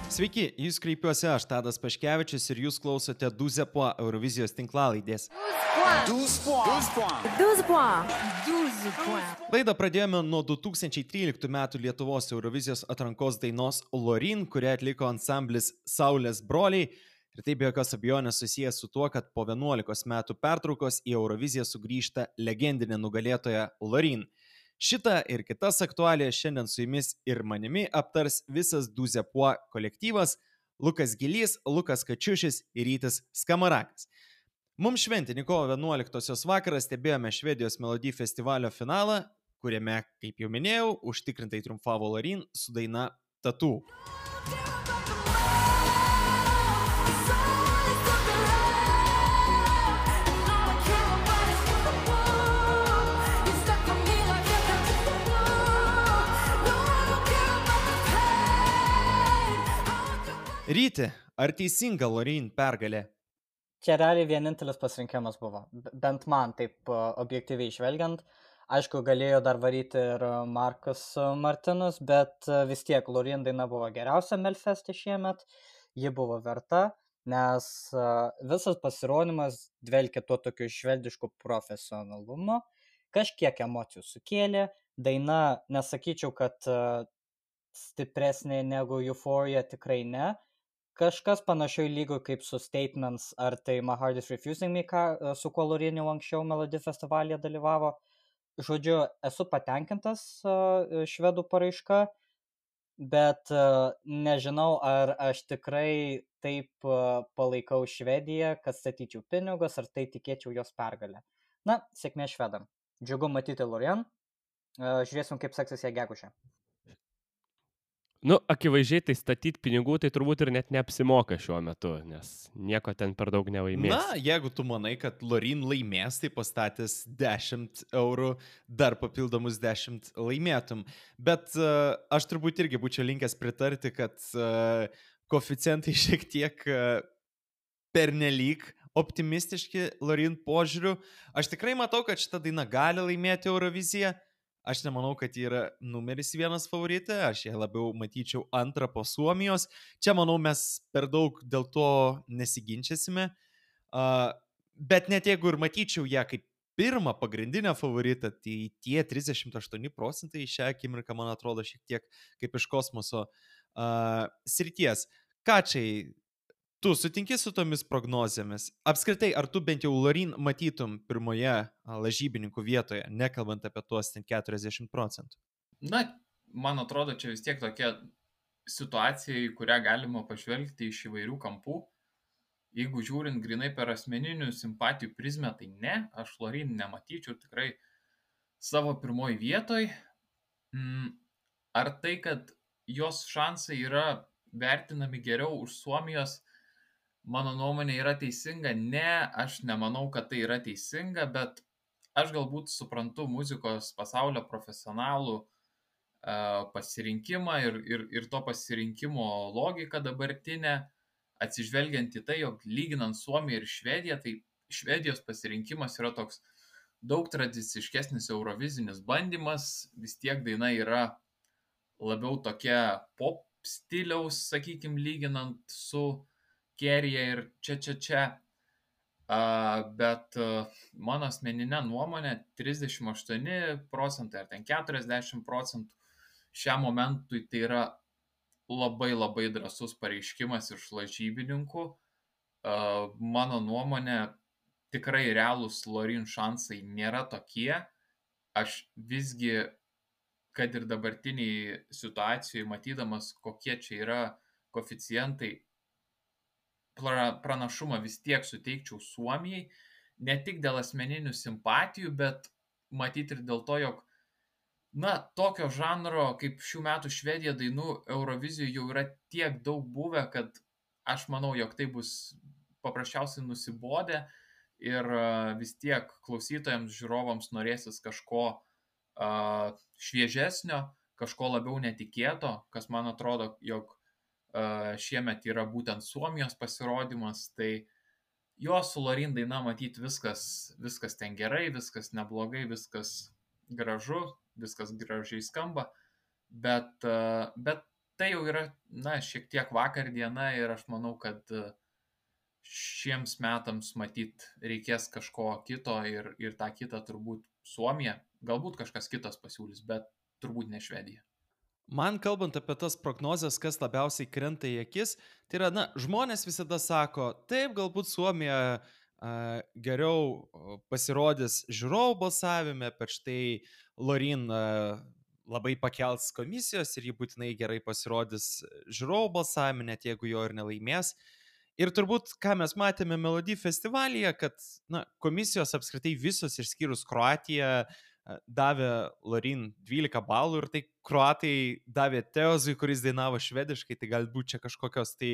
Sveiki, jūs kreipiuosi aš, Tadas Paškevičius, ir jūs klausote Duzepo Eurovizijos tinklalaidės. 12 points. 12 points. Laidą pradėjome nuo 2013 metų Lietuvos Eurovizijos atrankos dainos Lorin, kurią atliko ansamblis Saulės broliai. Ir tai be jokios abejonės susijęs su tuo, kad po 11 metų pertraukos į Euroviziją sugrįžta legendinė nugalėtoja Lorin. Šitą ir kitas aktualijas šiandien su jumis ir manimi aptars visas Duzepo kolektyvas – Lukas Gilys, Lukas Kačiušis ir Rytis Skamarakas. Mums šventinį kovo 11-osios vakarą stebėjome Švedijos Melody festivalio finalą, kuriame, kaip jau minėjau, užtikrintai triumfavo Lorin su daina Tattoo. Ryti, ar teisinga Lorin pergalė? Čia realiai vienintelis pasirinkimas buvo, bent man taip objektyviai žvelgiant. Aišku, galėjo dar varyti ir Markus Martinus, bet vis tiek Lorin daina buvo geriausia Melfeste šiemet, ji buvo verta, nes visas pasirodymas dvelkė tuo tokiu švedišku profesionalumu, kažkiek emocijų sukėlė, daina, nesakyčiau, kad stipresnė negu Euphoria, tikrai ne. Kažkas panašiai lygių kaip su Statements ar tai My Heart is Refusing Me, su kuo Lorin jau anksčiau Melody festivalyje dalyvavo. Žodžiu, esu patenkintas švedų paraiška, bet nežinau, ar aš tikrai taip palaikau Švediją, kad statyčiau pinigus, ar tai tikėčiau jos pergalę. Na, sėkmė švedam. Džiugu matyti Lorin. Žiūrėsim, kaip seksis ją gegužę. Nu, akivaizdžiai tai statyti pinigų, tai turbūt ir net neapsimoka šiuo metu, nes nieko ten per daug nelaimės. Na, jeigu tu manai, kad Lorin laimės, tai pastatęs 10 eurų, dar papildomus 10 laimėtum. Bet aš turbūt irgi būčiau linkęs pritarti, kad koeficientai šiek tiek pernelyg optimistiški Lorin požiūriu. Aš tikrai matau, kad šita daina gali laimėti Euroviziją. Aš nemanau, kad ji yra numeris 1 favoritė, aš ją labiau matyčiau antrą po Suomijos. Čia, manau, mes per daug dėl to nesiginčiasime. Bet net jeigu ir matyčiau ją kaip pirmą pagrindinę favoritą, tai tie 38% šią akimirką, man atrodo, šiek tiek kaip iš kosmoso srities. Kačiai, tu sutinki su tomis prognozėmis? Apskritai, ar tu bent jau Lorin matytum pirmoje lažybininkų vietoje, nekalbant apie tuos 40%? Na, man atrodo, čia vis tiek tokia situacija, į kurią galima pažvelgti iš įvairių kampų. Jeigu žiūrint grinai per asmeninių simpatijų prizmę, tai ne, aš Lorin nematyčiau tikrai savo pirmoji vietoj. Ar tai, kad jos šansai yra vertinami geriau už Suomijos, mano nuomonė yra teisinga? Ne, aš nemanau, kad tai yra teisinga, bet aš galbūt suprantu muzikos pasaulio profesionalų pasirinkimą ir to pasirinkimo logiką dabartinę, atsižvelgiant į tai, jog lyginant Suomiją ir Švediją, tai Švedijos pasirinkimas yra toks daug tradiciškesnis eurovizinis bandymas, vis tiek daina yra labiau tokia pop stiliaus, sakykime, lyginant su Kerija ir čia. Bet mano asmeninė nuomonė 38% ar ten 40% šiam momentui tai yra labai labai drąsus pareiškimas iš lažybininkų. Mano nuomonė tikrai realūs Lorin šansai nėra tokie. Aš visgi, kad ir dabartiniai situacijai matydamas, kokie čia yra koeficientai, pranašumą vis tiek suteikčiau Suomijai, ne tik dėl asmeninių simpatijų, bet matyti ir dėl to, jog tokio žanro kaip šių metų Švedija dainų Eurovizijoje jau yra tiek daug buvę, kad aš manau, jog tai bus paprasčiausiai nusibodę ir vis tiek klausytojams, žiūrovams norėsis kažko šviežesnio, kažko labiau netikėto, kas man atrodo, jog šiemet yra būtent Suomijos pasirodymas, tai jo su Lorin daina matyti viskas ten gerai, viskas neblogai, viskas gražu, viskas gražiai skamba, bet tai jau yra šiek tiek vakar diena ir aš manau, kad šiems metams matyt reikės kažko kito ir tą kitą turbūt Suomija, galbūt kažkas kitas pasiūlys, bet turbūt ne Švedija. Man kalbant apie tas prognozes, kas labiausiai krenta į akis, tai yra, žmonės visada sako, taip, galbūt Suomija geriau pasirodys žiūrovų balsavime, bet štai Lorin labai pakels komisijos ir ji būtinai gerai pasirodys žiūrovų balsavime, net jeigu jo ir nelaimės. Ir turbūt, ką mes matėme Melody festivalyje, kad komisijos apskritai visos išskyrus Kroatiją davė Lorin 12 balų ir tai kroatai davė Teozui, kuris dainavo švediškai, tai galbūt čia kažkokios tai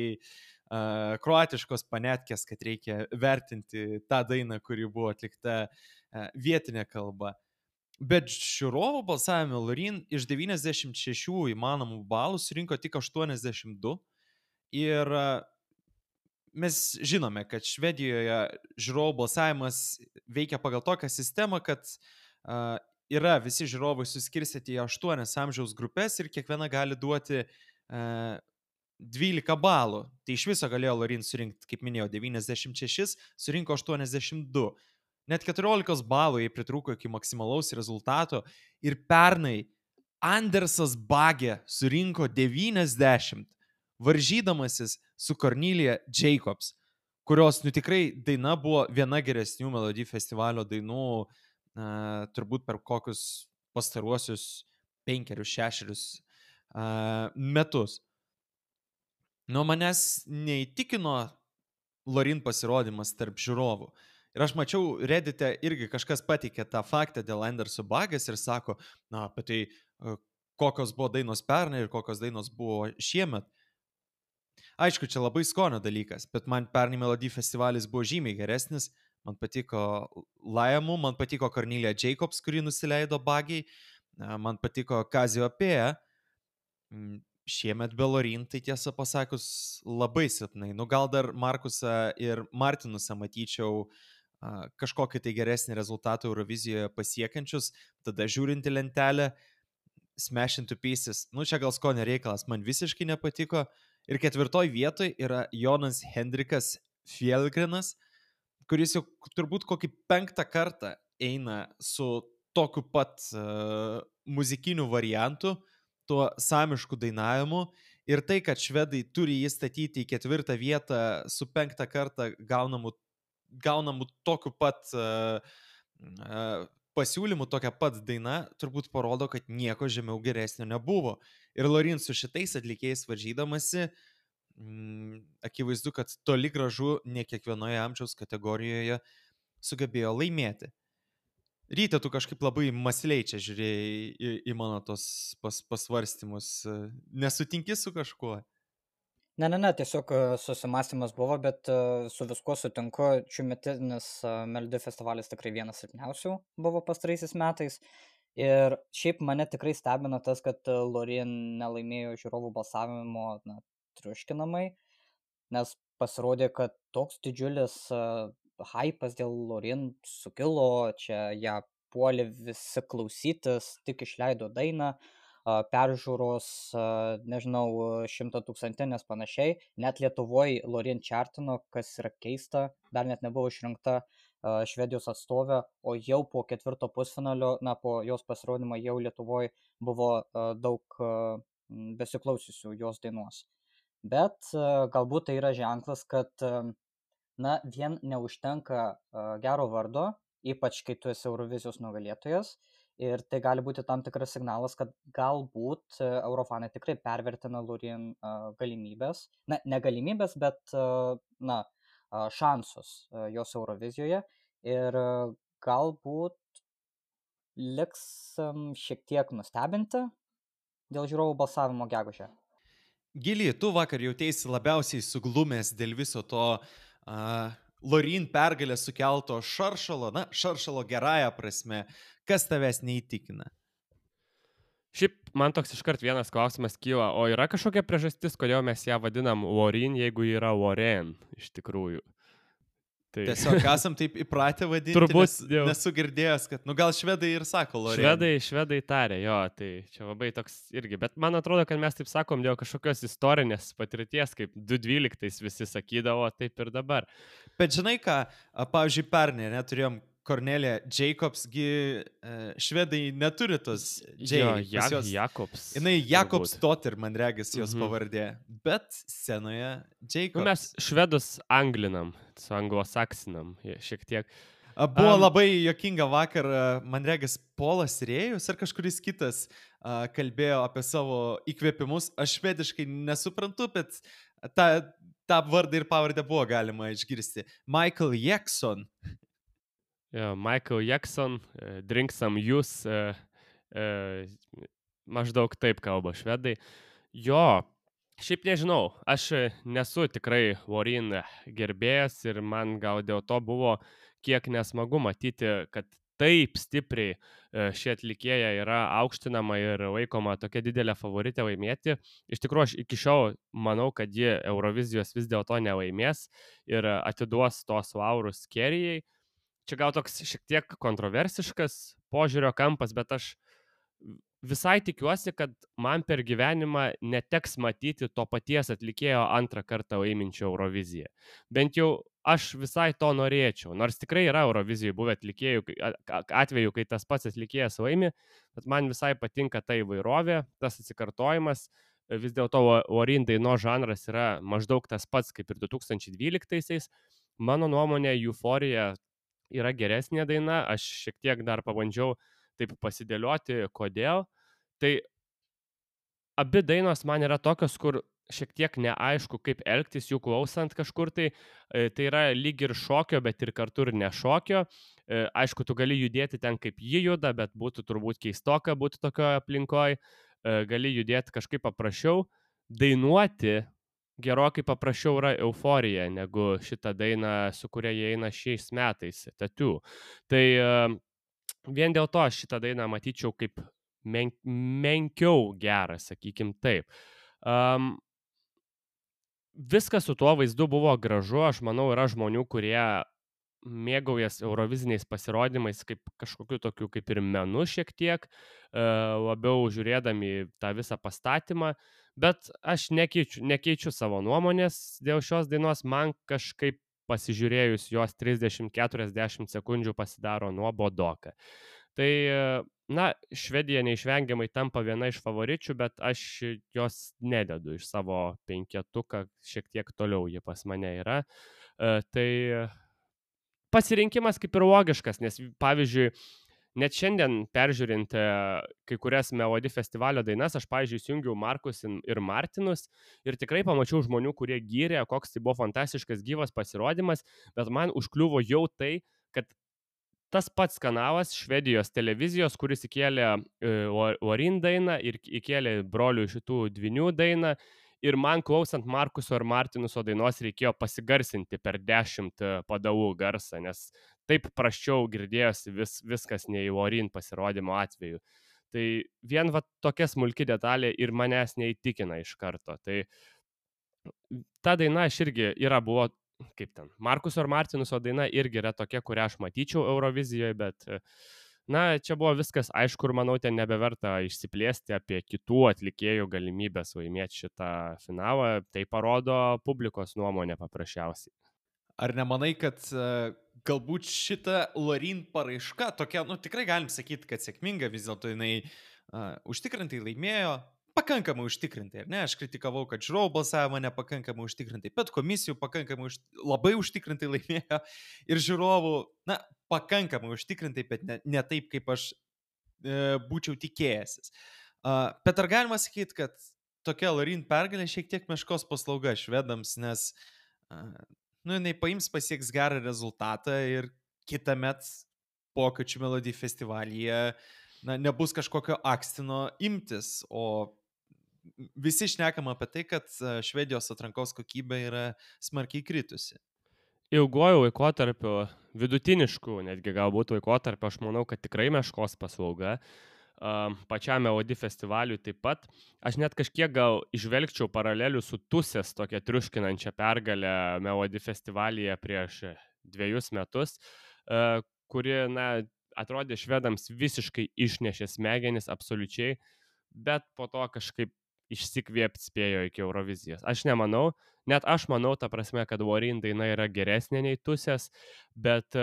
kroatiškos panetkės, kad reikia vertinti tą dainą, kuri buvo atlikta vietinė kalba. Bet žiūrovų balsavime Lorin iš 96 įmanomų balų surinko tik 82 ir mes žinome, kad Švedijoje žiūrovų balsavimas veikia pagal tokią sistemą, kad yra visi žiūrovai suskirstyti į 8 amžiaus grupės ir kiekviena gali duoti 12 balų. Tai iš viso galėjo Lorin surinkti, kaip minėjau, 96, surinko 82. Net 14 balų jai pritrūko iki maksimalaus rezultato ir pernai Andersas Bagė surinko 90, varžydamasis su Cornelia Jacobs, kurios tikrai daina buvo viena geresnių Melody festivalio dainų turbūt per kokius pastaruosius 5-6 metus. Nuo manęs neįtikino Lorin pasirodymas tarp žiūrovų. Ir aš mačiau Reddite irgi kažkas pateikė tą faktą dėl Anderso Bagės ir sako, apie tai kokios buvo dainos pernai ir kokios dainos buvo šiemet. Aišku, čia labai skonio dalykas, bet man pernai Melody festivalis buvo žymiai geresnis. Man patiko Lajamų, man patiko Cornelia Jacobs, kuri nusileido Bagiai, man patiko Cassiopeia. Šiemet be Lorin, tai tiesą pasakius, labai silpnai. Gal dar Markusą ir Martinusą matyčiau kažkokį tai geresnį rezultatą Eurovizijoje pasiekiančius, tada žiūrinti lentelę, Smash Into Pieces, čia gal skonio reikalas, man visiškai nepatiko. Ir 4 vietoje yra Jonas Hendrikas Fjellgrenas, kuris jau turbūt kokį 5 kartą eina su tokiu pat muzikiniu variantu, tuo samišku dainavimu. Ir tai, kad švedai turi jį statyti į 4 vietą su 5 kartą gaunamu tokiu pat pasiūlymu, tokia pat daina, turbūt parodo, kad nieko žemiau geresnio nebuvo. Ir Lorin su šitais atlikėjais varžydamasi, akivaizdu, kad toli gražu ne kiekvienoje amžiaus kategorijoje sugebėjo laimėti. Ryte, tu kažkaip labai mąsliai čia žiūrėjai į mano tos pasvarstymus. Nesutinki su kažkuo? Ne, tiesiog susimąstymas buvo, bet su viskuo sutinku. Šiųmetinis Melody festivalis tikrai vienas silpniausių buvo pastaraisiais metais. Ir šiaip mane tikrai stebina tas, kad Lorin nelaimėjo žiūrovų balsavimo triuškinamai, nes pasirodė, kad toks didžiulis hypas dėl Lorin sukilo, čia ją puolė visi klausytis, tik išleido dainą, peržiūros, nežinau, 100,000 panašiai, net Lietuvoje Lorin čartino, kas yra keista, dar net nebuvo išrinkta Švedijos atstovė, o jau po 4 pusfinalio, po jos pasirodymą jau Lietuvoje buvo daug besiklausiusių jos dainos. Bet galbūt tai yra ženklas, kad vien neužtenka gero vardo, ypač kai tu esi Eurovizijos nugalėtojas, ir tai gali būti tam tikras signalas, kad galbūt eurofanai tikrai pervertina Lorin galimybės, ne galimybės, bet šansus jos Eurovizijoje, ir galbūt liks šiek tiek nustebinti dėl žiūrovų balsavimo gegužę. Gili, tu vakar jautėsi labiausiai suglumęs dėl viso to Lorin pergalės sukelto šaršalo gerąją prasme. Kas tavęs neįtikina? Šiaip man toks iškart vienas klausimas kyla, o yra kažkokia priežastis, kodėl mes ją vadinam Lorin, jeigu yra Loren iš tikrųjų? Tai Tiesiog esam taip įpratę vadinti, Turbūt jau. nesu girdėjęs, kad, gal švedai ir sako Lorien. Švedai tarė, jo, tai čia labai toks irgi, bet man atrodo, kad mes taip sakom dėl kažkokios istorinės patirties, kaip 2012 visi sakydavo, taip ir dabar. Bet žinai ką, pavyzdžiui, pernai neturėjom Kornelija Jacobsgi, švedai neturi tos Jakobs. Jinai Jakobs Totter, man regis, jos pavardė, bet scenoje Jacobs. Mes švedus anglinam, su anglosaksinam, šiek tiek. Buvo labai juokinga vakar, man regis, Polas Rėjus ar kažkuris kitas kalbėjo apie savo įkvėpimus. Aš švediškai nesuprantu, bet tą vardą ir pavardę buvo galima išgirsti. Michael Jackson. Michael Jackson, drink some juice, maždaug taip kalba švedai. Jo, šiaip nežinau, aš nesu tikrai Loreen gerbėjas ir man gal dėl to buvo kiek nesmagu matyti, kad taip stipriai ši atlikėja yra aukštinama ir laikoma tokia didelė favoritė laimėti. Iš tikrųjų, aš iki šiol manau, kad ji Eurovizijos vis dėlto nelaimės ir atiduos tos laurus Kerijai. Čia gal toks šiek tiek kontroversiškas požiūrio kampas, bet aš visai tikiuosi, kad man per gyvenimą neteks matyti to paties atlikėjo antrą kartą laiminčio Euroviziją. Bent jau aš visai to norėčiau, nors tikrai yra Eurovizijoje buvę atveju, kai tas pats atlikėjas laimi, bet man visai patinka ta įvairovė, tas atsikartojimas. Vis dėlto Loreen dainos žanras yra maždaug tas pats kaip ir 2012-aisiais. Mano nuomonė, Euforija yra geresnė daina, aš šiek tiek dar pabandžiau taip pasidėlioti, kodėl. Tai abi dainos man yra tokios, kur šiek tiek neaišku, kaip elgtis jų klausant kažkur, tai yra lyg ir šokio, bet ir kartu ir nešokio. Aišku, tu gali judėti ten, kaip ji juda, bet būtų turbūt keistoka būti tokioje aplinkoje. Gali judėti kažkaip paprasčiau. Dainuoti gerokai paprasčiau yra Euforija, negu šitą dainą, su kuria jie eina šiais metais, Tattoo. Tai vien dėl to aš šitą dainą matyčiau kaip menkiau gerą, sakykim taip. Viskas su tuo vaizdu buvo gražu, aš manau, yra žmonių, kurie mėgaujas Euroviziniais pasirodymais kaip kažkokiu tokiu kaip ir menu šiek tiek, labiau žiūrėdami tą visą pastatymą, bet aš nekeičiu savo nuomonės dėl šios dainos, man kažkaip pasižiūrėjus jos 30-40 sekundžių pasidaro nuobodoka. Tai, Švedija neišvengiamai tampa viena iš favoričių, bet aš jos nededu iš savo penketuką, šiek tiek toliau ji pas mane yra. Tai pasirinkimas kaip ir logiškas, nes pavyzdžiui, net šiandien peržiūrint kai kurias Melody festivalio dainas, aš pavyzdžiui įsijungiau Markus ir Martinus ir tikrai pamačiau žmonių, kurie gyrė, koks tai buvo fantastiškas gyvas pasirodymas, bet man užkliuvo jau tai, kad tas pats kanalas Švedijos televizijos, kuris įkėlė Loreen dainą ir įkėlė brolių šitų dvinių dainą, ir man klausant Markuso ir Martinuso dainos reikėjo pasigarsinti per 10 padalų garsą, nes taip prasčiau girdėjosi viskas nei Loreen pasirodymo atveju. Tai vien tokia smulki detalė ir manęs neįtikina iš karto. Tai ta daina aš irgi buvo, kaip ten, Markuso ir Martinuso daina irgi yra tokia, kurią aš matyčiau Eurovizijoje, bet čia buvo viskas aišku ir manau, ten nebeverta išsiplėsti apie kitų atlikėjų galimybės laimėti šitą finalą. Tai parodo publikos nuomonę paprasčiausiai. Ar nemanai, kad galbūt šita Loreen paraiška tokia, tikrai galim sakyti, kad sėkminga, vis dėlto jinai užtikrintai laimėjo, pakankamai užtikrintai, ar ne? Aš kritikavau, kad žiūrovų balsavimą nepakankamai užtikrintai, bet komisijų pakankamai labai užtikrintai laimėjo ir žiūrovų, pakankamai užtikrintai, bet ne taip, kaip aš būčiau tikėjęsis. Bet ar galima sakyti, kad tokia Loreen pergalė šiek tiek meškos paslauga švedams, nes jinai paims, pasieks gerą rezultatą ir kitąmet pokyčių Melody festivalyje nebus kažkokio akstino imtis, o visi šnekam apie tai, kad Švedijos atrankos kokybė yra smarkiai kritusi. Ilguoju laikotarpiu, vidutinišku netgi galbūt laikotarpiu, aš manau, kad tikrai meškos paslauga. Pačiam Melody festivaliui taip pat. Aš net kažkiek gal išvelgčiau paralelių su Tusės tokia triuškinančia pergalė Melody festivalyje prieš 2 metus, kuri, na, atrodė švedams visiškai išnešė smegenis absoliučiai, bet po to kažkaip išsikvėpti spėjo iki Eurovizijos. Aš nemanau, net aš manau, ta prasme, kad Warren daina yra geresnė nei Tusės, bet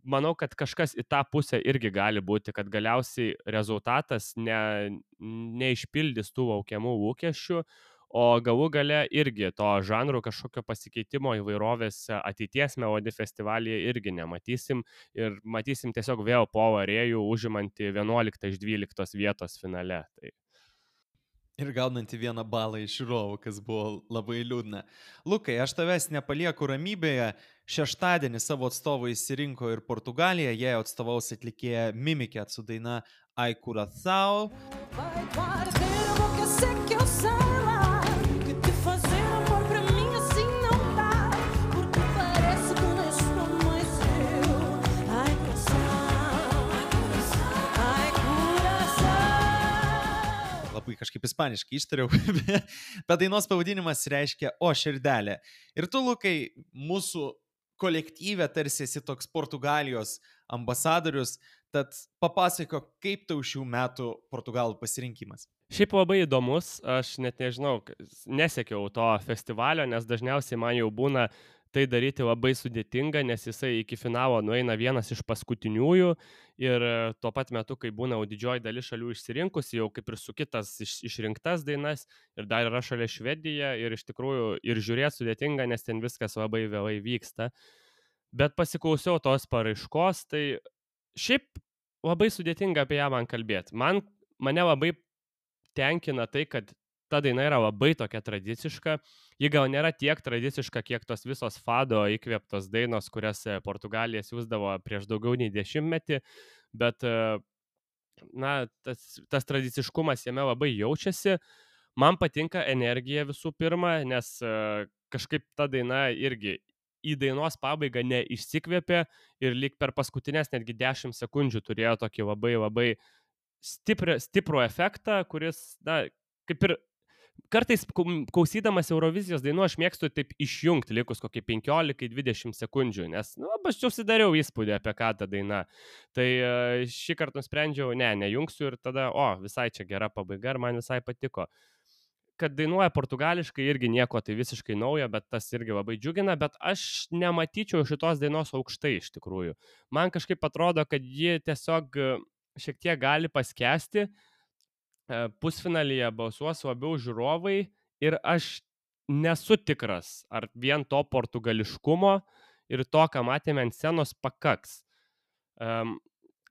manau, kad kažkas į tą pusę irgi gali būti, kad galiausiai rezultatas neišpildys tų laukiamų lūkesčių, o galų gale irgi to žanrų kažkokio pasikeitimo įvairovės ateities Melody festivalyje irgi nematysim ir matysim tiesiog vėl Paulą Rėjų užimantį 11 iš 12 vietos finale. Tai Ir gaunantį 1 balą iš žiūrovų, kas buvo labai liūdna. Lukai, aš tavęs nepalieku ramybėje. Šeštadienį savo atstovą įsirinko ir Portugalija. Jie atstovaus atlikėja Mimiket su daina Ai Curaçao. Vai guarder a boca seca, eu sei lá que te fazer amor pra mim assim não dá, porque parece que não estou mais eu. Ai, coração, ai, coração. Labai kažkaip ispaniškai ištariau, bet dainos pavadinimas reiškia O širdelė. Ir tu, Lukai, mūsų kolektyve tarsi esi toks Portugalijos ambasadorius, tad papasako, kaip tau šių metų Portugalų pasirinkimas. šiaip labai įdomus, aš net nežinau, nesekiau to festivalio, nes dažniausiai man jau būna tai daryti labai sudėtinga, nes jisai iki finalo nueina vienas iš paskutiniųjų ir tuo pat metu, kai būna didžioji dalis šalių išsirinkusi, jau kaip ir su kitas išrinktas dainas ir dar yra šalia Švedija ir iš tikrųjų ir žiūrėti sudėtinga, nes ten viskas labai vėlai vyksta. Bet pasiklausiau tos paraiškos, tai šiaip labai sudėtinga apie ją man kalbėti. Mane labai tenkina tai, kad ta daina yra labai tokia tradiciška. Ji gal nėra tiek tradiciška, kiek tos visos fado įkvėptos dainos, kurias Portugalija siūsdavo prieš daugiau nei 10 metį, bet na, tas tradiciškumas jame labai jaučiasi. Man patinka energija visų pirma, nes kažkaip ta daina irgi į dainos pabaigą neišsikvėpė ir lyg per paskutinės netgi 10 sekundžių turėjo tokį labai labai stiprų efektą, kuris, na, kaip ir kartais klausydamas Eurovizijos dainų aš mėgstu taip išjungti likus kokį 15-20 sekundžių, nes, nu, aš susidariau įspūdį apie ką ta daina. Tai šį kartą nusprendžiau, nejungsiu ir tada, visai čia gera pabaiga ir man visai patiko. Kad dainuoja portugališkai irgi nieko tai visiškai naujo, bet tas irgi labai džiugina, bet aš nematyčiau šitos dainos aukštai iš tikrųjų. Man kažkaip atrodo, kad ji tiesiog šiek tiek gali paskesti, pusfinalyje balsuos labiau žiūrovai ir aš nesu tikras, ar vien to portugališkumo ir to, ką matėme ant scenos, pakaks.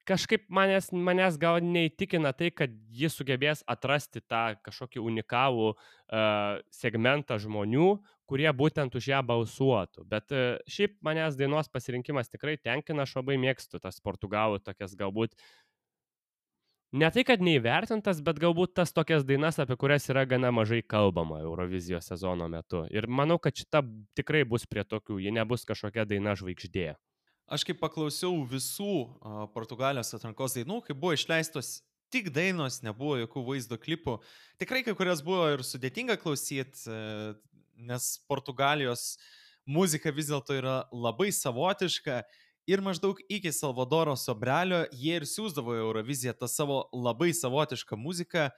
Kažkaip manęs gal neįtikina tai, kad jis sugebės atrasti tą kažkokį unikalų segmentą žmonių, kurie būtent už ją balsuotų. Bet šiaip manęs dainos pasirinkimas tikrai tenkina, aš labai mėgstu tas portugalų tokias galbūt, ne tai, kad neįvertintas, bet galbūt tas tokias dainas, apie kurias yra gana mažai kalbama Eurovizijos sezono metu. Ir manau, kad šita tikrai bus prie tokių, ji nebus kažkokia daina žvaigždė. Aš kaip paklausiau visų Portugalijos atrankos dainų, kai buvo išleistos tik dainos, nebuvo jokių vaizdo klipų. Tikrai kai kurias buvo ir sudėtinga klausyti, nes Portugalijos muzika vis dėlto yra labai savotiška ir maždaug iki Salvadoro Sobrelio jie ir siūsdavo Euroviziją tą savo labai savotišką muziką.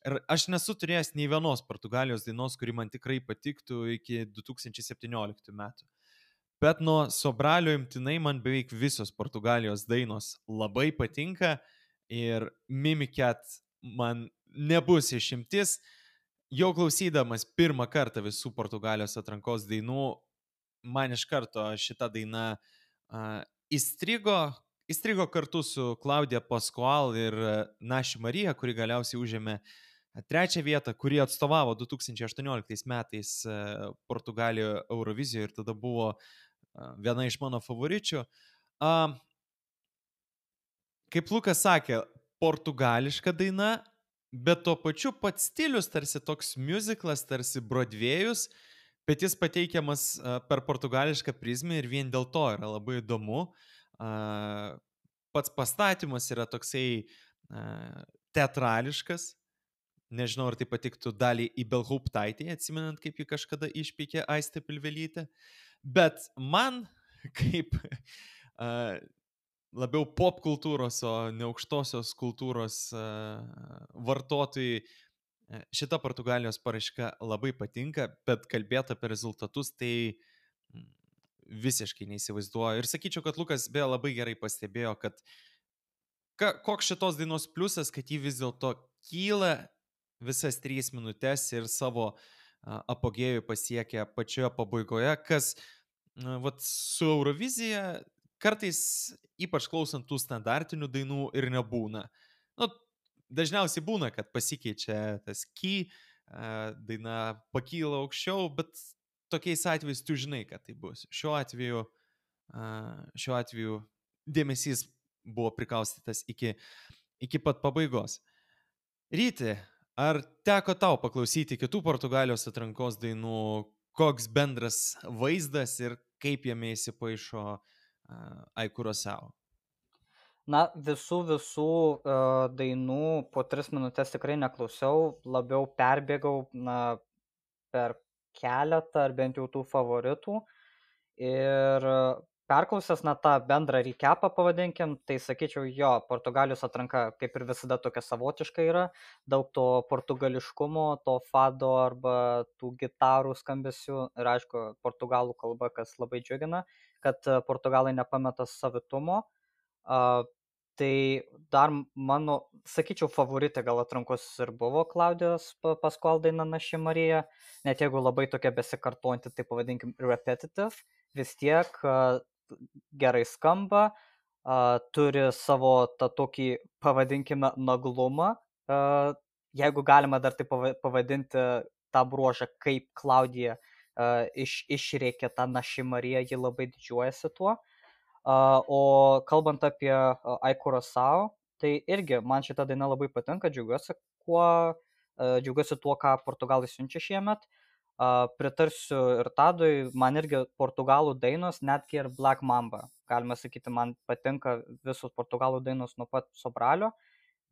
Ir aš nesu turėjęs nei vienos Portugalijos dainos, kuri man tikrai patiktų iki 2017 metų. Bet nuo Sobralio imtinai man beveik visos Portugalijos dainos labai patinka ir Mimiket man nebus išimtis. Jau klausydamas pirmą kartą visų Portugalijos atrankos dainų, man iš karto šita daina įstrigo kartu su Claudia Pascual ir Naši Marija, kuri galiausiai užėmė 3 vietą, kuri atstovavo 2018 metais Portugalijoje Eurovizijoje ir tada buvo viena iš mano favoričių. Kaip Lukas sakė, portugališka daina, bet tuo pačiu pats stilius tarsi toks musiclas, tarsi Broadwayus, bet jis pateikiamas per portugališką prizmę ir vien dėl to yra labai įdomu. Pats pastatymas yra toksai teatrališkas. Nežinau, ar tai patiktų Daliai Ibelhauptaitei, atsimenant, kaip ji kažkada išpeikė Aistę Pilvelytę. Bet man kaip labiau pop kultūros, o ne aukštosios kultūros vartotojai. Šita Portugalijos paraiška labai patinka, bet kalbėti apie rezultatus tai visiškai neįsivaizduoju. Ir sakyčiau, kad Lukas beje labai gerai pastebėjo, kad koks šitos dainos pliusas, kad ji vis dėlto kyla visas 3 minutės ir savo apogėjų pasiekia pačioje pabaigoje, kas vat, su Eurovizija kartais, ypač klausant tų standartinių dainų, ir nebūna. Nu, dažniausiai būna, kad pasikeičia tas key, daina pakyla aukščiau, bet tokiais atvejais tu žinai, kad tai bus. Šiuo atveju dėmesys buvo prikaustytas iki pat pabaigos. Ryti, ar teko tau paklausyti kitų Portugalijos atrankos dainų, koks bendras vaizdas ir kaip jame įsipaišo Ai Curaçao? Na, visų dainų po 3 minutės tikrai neklausiau, labiau perbėgau per keletą ar bent jau tų favoritų. Ir perklausęs tą bendrą recapą pavadinkim, tai sakyčiau, jo, Portugalijos atranka kaip ir visada tokia savotiška yra, daug to portugališkumo, to fado arba tų gitarų skambesių ir aišku, portugalų kalba, kas labai džiugina, kad portugalai nepameta savitumo. Tai dar mano, sakyčiau, favoritė gal atrankos ir buvo Klaudijos Pascual daina Naši Marija, net jeigu labai tokia besikartojanti, tai pavadinkim repetitive, vis tiek gerai skamba, turi savo tą tokį, pavadinkime, naglumą, jeigu galima dar tai pavadinti tą bruožą, kaip Klaudija išrėkė tą Naši Marija, ji labai didžiuojasi tuo. O kalbant apie Ai Curaçao, tai irgi man šita daina labai patinka, džiaugiuosi tuo, ką portugalai siunčia šiemet. Pritarsiu ir Tadui, man irgi portugalų dainos, netgi ir Black Mamba. Galima sakyti, man patinka visos portugalų dainos nuo pat Sobralio,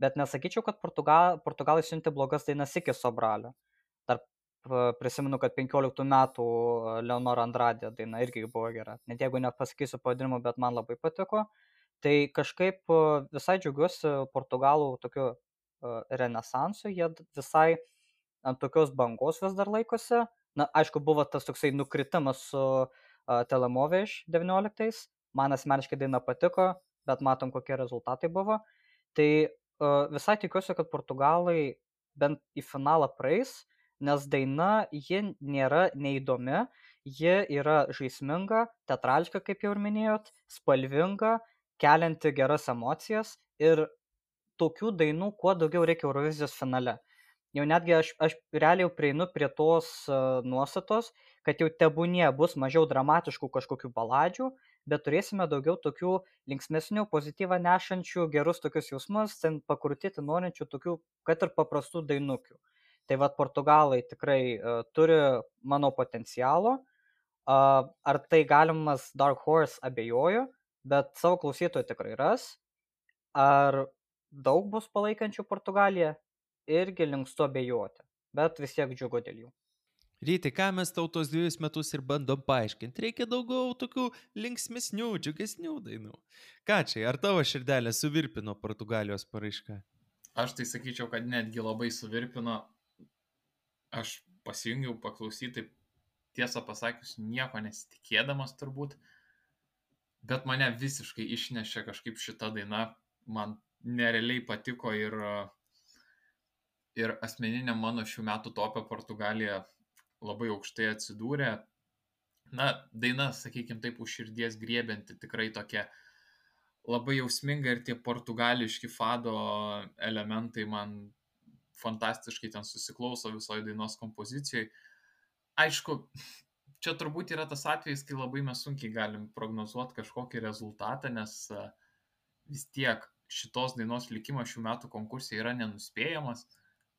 bet nesakyčiau, kad portugalai siuntė blogas dainas iki Sobralio. Dar prisimenu, kad 15 metų Leonora Andrade daina irgi buvo gera. Net jeigu nepasakysiu pavadinimu, bet man labai patiko. Tai kažkaip visai džiaugiuosi portugalų tokiu renesansu, jie visai ant tokios bangos vis dar laikosi. Na, aišku, buvo tas toksai nukritimas su Telemoveš 19. Man asmeniškai daina patiko, bet matom, kokie rezultatai buvo. Tai visai tikiuosi, kad portugalai bent į finalą praeis, nes daina, ji nėra neįdomi, ji yra žaisminga, teatrališka, kaip jau ir minėjot, spalvinga, kelianti geras emocijas ir tokių dainų kuo daugiau reikia Eurovizijos finale. Jau netgi aš realiai prieinu prie tos nuostatos, kad jau tebūnie bus mažiau dramatiškų kažkokių baladžių, bet turėsime daugiau tokių linksmesnių, pozityvą nešančių, gerus tokius jausmus, ten pakrutėti norinčių tokių, kad ir paprastų dainukių. Tai vat portugalai tikrai turi mano potencialo. Ar tai galimas Dark Horse abejoju, bet savo klausytojų tikrai ras. Ar daug bus palaikančių Portugaliją? Irgi linkstu abejoti, bet vis tiek džiugu dėl jų. Ryti, ką mes tau tos 2 metus ir bandom paaiškinti? Reikia daugiau tokių linksmesnių, džiugesnių dainų. Ką čia, ar tavo širdelė suvirpino Portugalijos paraišką? Aš tai sakyčiau, kad netgi labai suvirpino. Aš pasijungiau paklausyti, tiesą pasakius, nieko nesitikėdamas turbūt, bet mane visiškai išnešė kažkaip šita daina, man nerealiai patiko ir asmeninė mano šių metų topė Portugalija labai aukštai atsidūrė. Na, daina, sakykime taip, už širdies griebianti, tikrai tokia labai jausminga ir tie portugališki fado elementai man fantastiškai ten susiklauso visoje dainos kompozicijoje. Aišku, čia turbūt yra tas atvejis, kai labai mes sunkiai galim prognozuoti kažkokį rezultatą, nes vis tiek šitos dainos likimas šių metų konkursai yra nenuspėjamas.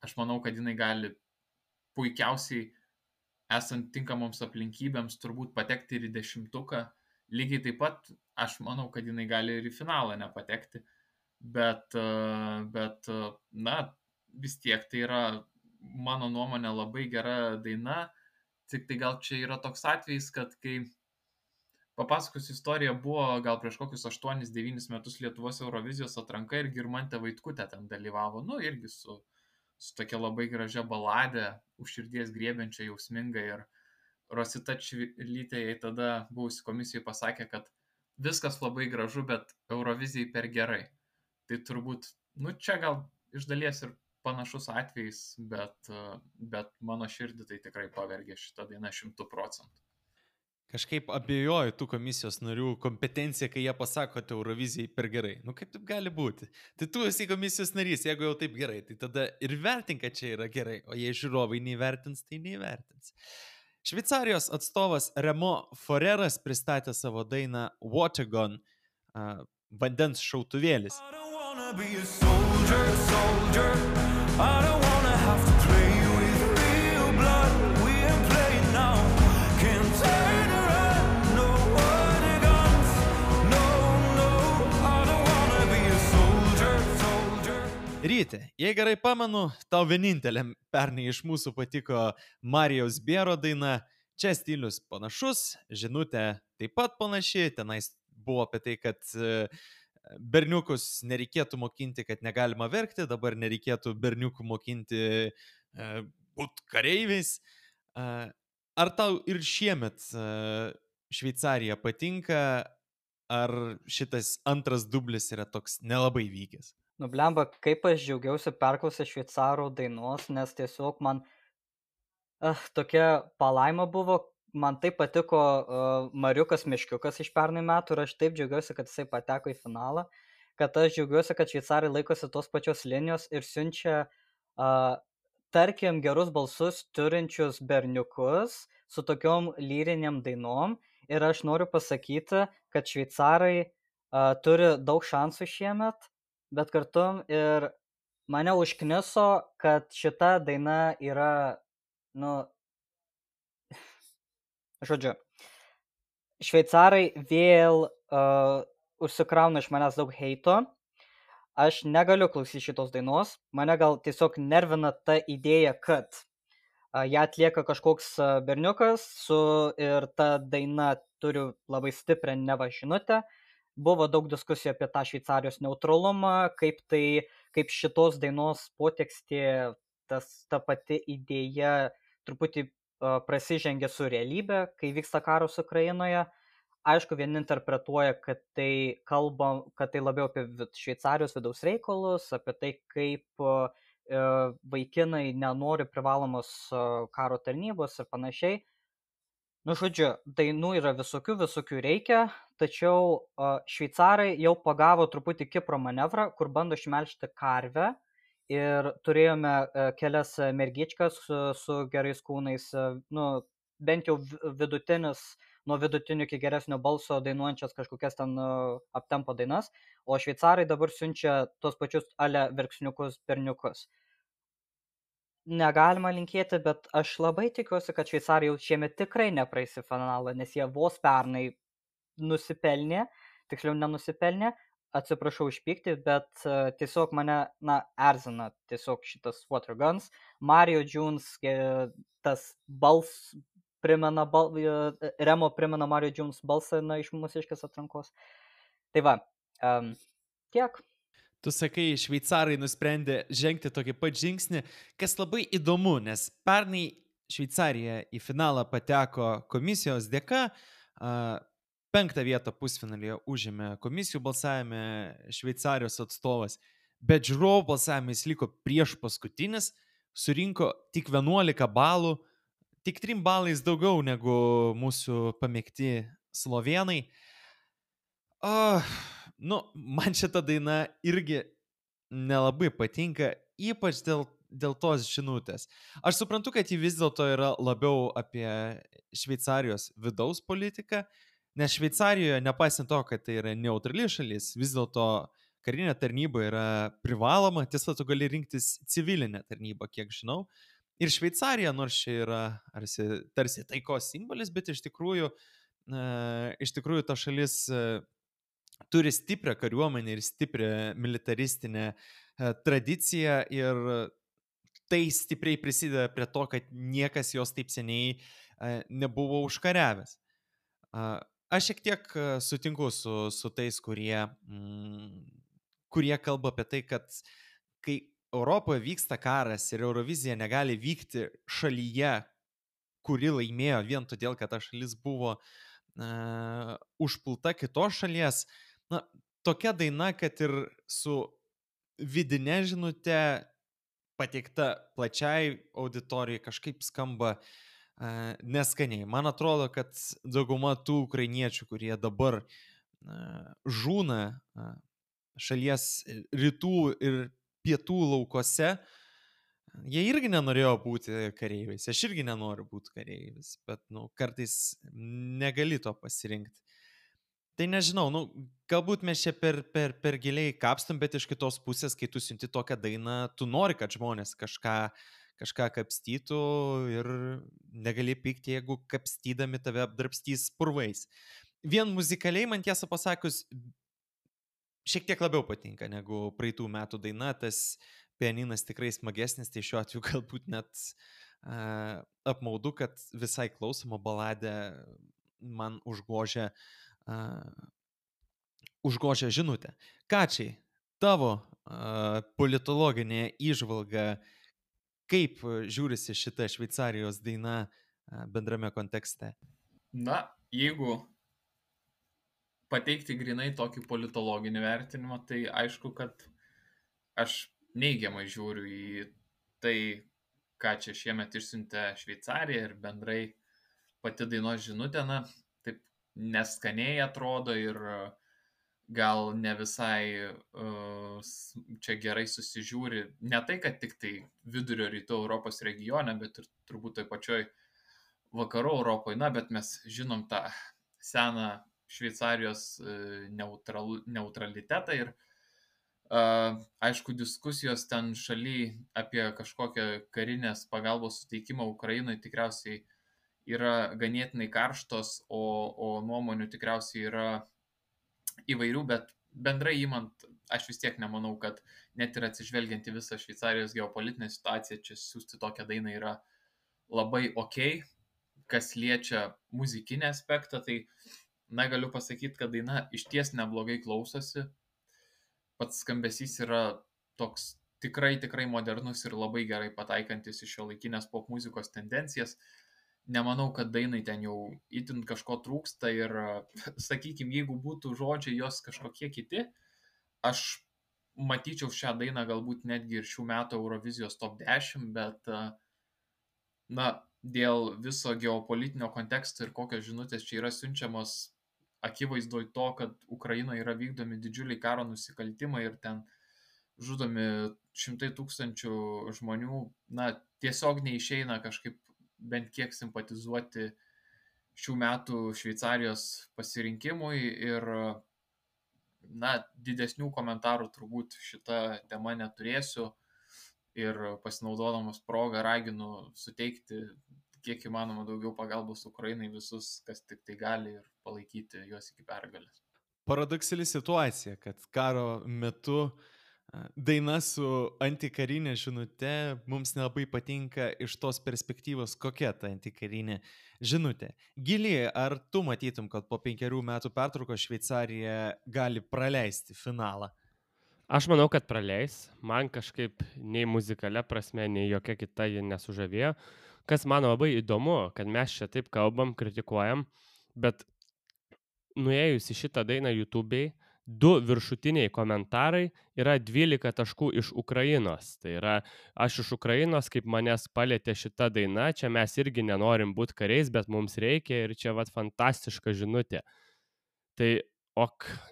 Aš manau, kad jinai gali puikiausiai, esant tinkamoms aplinkybėms, turbūt patekti ir į 10. Lygiai taip pat, aš manau, kad jinai gali ir į finalą nepatekti. Bet na, vis tiek tai yra, mano nuomonė, labai gera daina. Tik tai gal čia yra toks atvejis, kad kai Papasakosiu istoriją, buvo gal prieš kokius 8-9 metus Lietuvos Eurovizijos atranka ir Girmantė Vaitkutė ten dalyvavo, nu irgi su tokia labai gražia baladė, už širdies griebiančia, jausminga ir Rosita Čivilytė jai tada buvusi komisijoje pasakė, kad viskas labai gražu, bet Eurovizijai per gerai. Tai turbūt, nu čia gal iš dalies ir panašus atvejis, bet mano širdį tai tikrai pavergė šitą dainą 100%. Kažkaip abejoju tų komisijos narių kompetencija, kai jie pasako, kad Eurovizijai per gerai. Nu kaip taip gali būti? Tai tu esi komisijos narys, jeigu jau taip gerai, tai tada ir vertink, kad čia yra gerai, o jei žiūrovai neįvertins, tai neįvertins. Šveicarijos atstovas Remo Foreras pristatė savo dainą Watergun, vandens šautuvėlis. I don't wanna be a soldier, soldier. I don't wanna have to play with real blood. We ain't playing now. Can't turn around, no water guns. No, no, I don't wanna be a soldier, soldier. Ryti, jei gerai pamenu, tau vieninteliam pernai iš mūsų patiko Marijaus Biero daina. Čia stilius panašus, žinutė taip pat panaši, tenais buvo apie tai, kad berniukus nereikėtų mokinti, kad negalima verkti, dabar nereikėtų berniukų mokinti būt kareiviais. Ar tau ir šiemet Šveicarija patinka, ar šitas antras dublis yra toks nelabai vykęs? Nu, blemba, kaip aš džiaugiausi perklausę šveicarų dainos, nes tiesiog man tokia palaima buvo, man taip patiko Mariukas Miškiukas iš pernai metų ir aš taip džiaugiuosi, kad jisai pateko į finalą, kad aš džiaugiuosi, kad šveicarai laikosi tos pačios linijos ir siunčia, tarkim, gerus balsus turinčius berniukus su tokiom lyriniam dainom ir aš noriu pasakyti, kad šveicarai turi daug šansų šiemet, bet kartu ir mane užkniso, kad šita daina yra, nu, žodžiu, šveicarai vėl užsikrauna iš manęs daug heito, aš negaliu klausyti šitos dainos, mane gal tiesiog nervina ta idėja, kad ją atlieka kažkoks berniukas ir ta daina turi labai stiprią neva žinutę. Buvo daug diskusijų apie tą Šveicarijos neutralumą, kaip šitos dainos potekstė, ta pati idėja truputį prasižengia su realybė, kai vyksta karas Ukrainoje. Aišku, vieni interpretuoja, kad tai labiau apie Šveicarijos vidaus reikalus, apie tai, kaip vaikinai nenori privalomos karo tarnybos ir panašiai. Nu, žodžiu, dainų yra visokių reikia, tačiau šveicarai jau pagavo truputį Kipro manevrą, kur bando išmelžti karvę ir turėjome kelias mergičkas su gerais kūnais, nu, bent jau nuo vidutinių iki geresnio balso dainuojančias kažkokias ten aptempo dainas, o šveicarai dabar siunčia tos pačius verksniukus berniukus. Negalima linkėti, bet aš labai tikiuosi, kad šveicarai jau šiemet tikrai nepraeis į finalą, nes jie vos pernai nusipelnė, tiksliau nenusipelnė, atsiprašau už pyktį, bet tiesiog mane, erzina tiesiog šitas Waterguns. Mario Jones, tas Remo primena Mario Jones balsą iš mūsiškės atrankos. Tai va, tiek. Tu sakai, šveicarai nusprendė žengti tokį pat žingsnį, kas labai įdomu, nes pernai Šveicarija į finalą pateko komisijos dėka, 5. vietą pusfinalyje užėmė komisijų balsavime Šveicarijos atstovas, bet žiūrovų balsavime jis liko prieš paskutinis, surinko tik 11 balų, tik 3 balais daugiau negu mūsų pamėgti slovėnai. Man šita daina irgi nelabai patinka, ypač dėl tos žinutės. Aš suprantu, kad ji vis dėlto yra labiau apie Šveicarijos vidaus politiką, nes Šveicarijoje, nepaisant to, kad tai yra neutrali šalis, vis dėlto karinė tarnyba yra privaloma, tiesa, tu gali rinktis civilinę tarnybą, kiek žinau. Ir Šveicarija, nors čia yra tarsi taikos simbolis, bet iš tikrųjų ta šalis turi stiprią kariuomenę ir stiprią militaristinę tradiciją ir tai stipriai prisideda prie to, kad niekas jos taip seniai nebuvo užkariavęs. aš šiek tiek sutinku su tais, kurie kalba apie tai, kad kai Europoje vyksta karas ir Eurovizija negali vykti šalyje, kuri laimėjo vien todėl, kad ta šalis buvo užpulta kitos šalies, na, tokia daina, kad ir su vidinė žinutė pateikta plačiai auditorijai kažkaip skamba neskaniai. Man atrodo, kad dauguma tų ukrainiečių, kurie dabar žūna šalies rytų ir pietų laukose, jie irgi nenorėjo būti kareiviais. Aš irgi nenoriu būti kareivis, bet kartais negali to pasirinkti. Tai nežinau, galbūt mes čia per giliai kapstam, bet iš kitos pusės, kai tu siunti tokią dainą, tu nori, kad žmonės kažką kapstytų ir negali pykti, jeigu kapstydami tave apdrabstys purvais. Vien muzikaliai, man tiesą pasakius, šiek tiek labiau patinka negu praeitų metų daina, tas pianinas tikrai smagesnis, tai šiuo atveju galbūt net apmaudu, kad visai klausoma baladė man užgožia žinutę. Kačiai, tavo politologinė įžvalga, kaip žiūrisi šita Šveicarijos daina bendrame kontekste? Na, jeigu pateikti grinai tokį politologinį vertinimą, tai aišku, kad aš neigiamai žiūriu į tai, ką čia šiemet išsiuntė Šveicarija ir bendrai pati dainos žinutė, na, taip neskaniai atrodo ir gal ne visai čia gerai susižiūri. Ne tai, kad tik tai vidurio rytų Europos regione, bet ir turbūt toj pačioj vakarų Europoje, na, bet mes žinom tą seną Šveicarijos neutralitetą ir aišku, diskusijos ten šaly apie kažkokią karinės pagalbos suteikimą Ukrainai tikriausiai yra ganėtinai karštos, o nuomonių tikriausiai yra įvairių, bet bendrai imant, aš vis tiek nemanau, kad net ir atsižvelgiant į visą Šveicarijos geopolitinę situaciją, čia siūsti tokią dainą yra labai okei. Kas liečia muzikinį aspektą, tai galiu pasakyti, kad daina išties neblogai klausosi. Pats skambesys yra toks tikrai modernus ir labai gerai pataikantis iš šiuolaikinės pop muzikos tendencijas. Nemanau, kad dainai ten jau itin kažko trūksta ir, sakykime, jeigu būtų žodžiai jos kažkokie kiti, aš matyčiau šią dainą galbūt netgi ir šių metų Eurovizijos top 10, bet, dėl viso geopolitinio konteksto ir kokios žinutės čia yra siunčiamos, akivaizdoj to, kad Ukrainoje yra vykdomi didžiuliai karo nusikaltimai ir ten žudomi 100,000 žmonių, tiesiog neišeina kažkaip bent kiek simpatizuoti šių metų Šveicarijos pasirinkimui ir, didesnių komentarų turbūt šitą temą neturėsiu ir pasinaudodamas progą raginu suteikti kiek įmanoma daugiau pagalbos Ukrainai visus, kas tik tai gali ir palaikyti juos iki pergalės. Paradoksali situacija, kad karo metu daina su antikarinė žinute mums nelabai patinka iš tos perspektyvos, kokia ta antikarinė žinutė. Gili, ar tu matytum, kad po 5 metų pertraukos Šveicarija gali praleisti finalą? Aš manau, kad praleis. Man kažkaip nei muzikalia prasme, nei jokia kita ji nesužavėjo. Kas man labai įdomu, kad mes čia taip kalbam, kritikuojam, bet nuėjus į šitą dainą YouTube'ai, 2 viršutiniai komentarai yra 12 taškų iš Ukrainos. Tai yra, aš iš Ukrainos, kaip manęs palietė šita daina, čia mes irgi nenorim būti kariais, bet mums reikia ir čia fantastiška žinutė. Tai,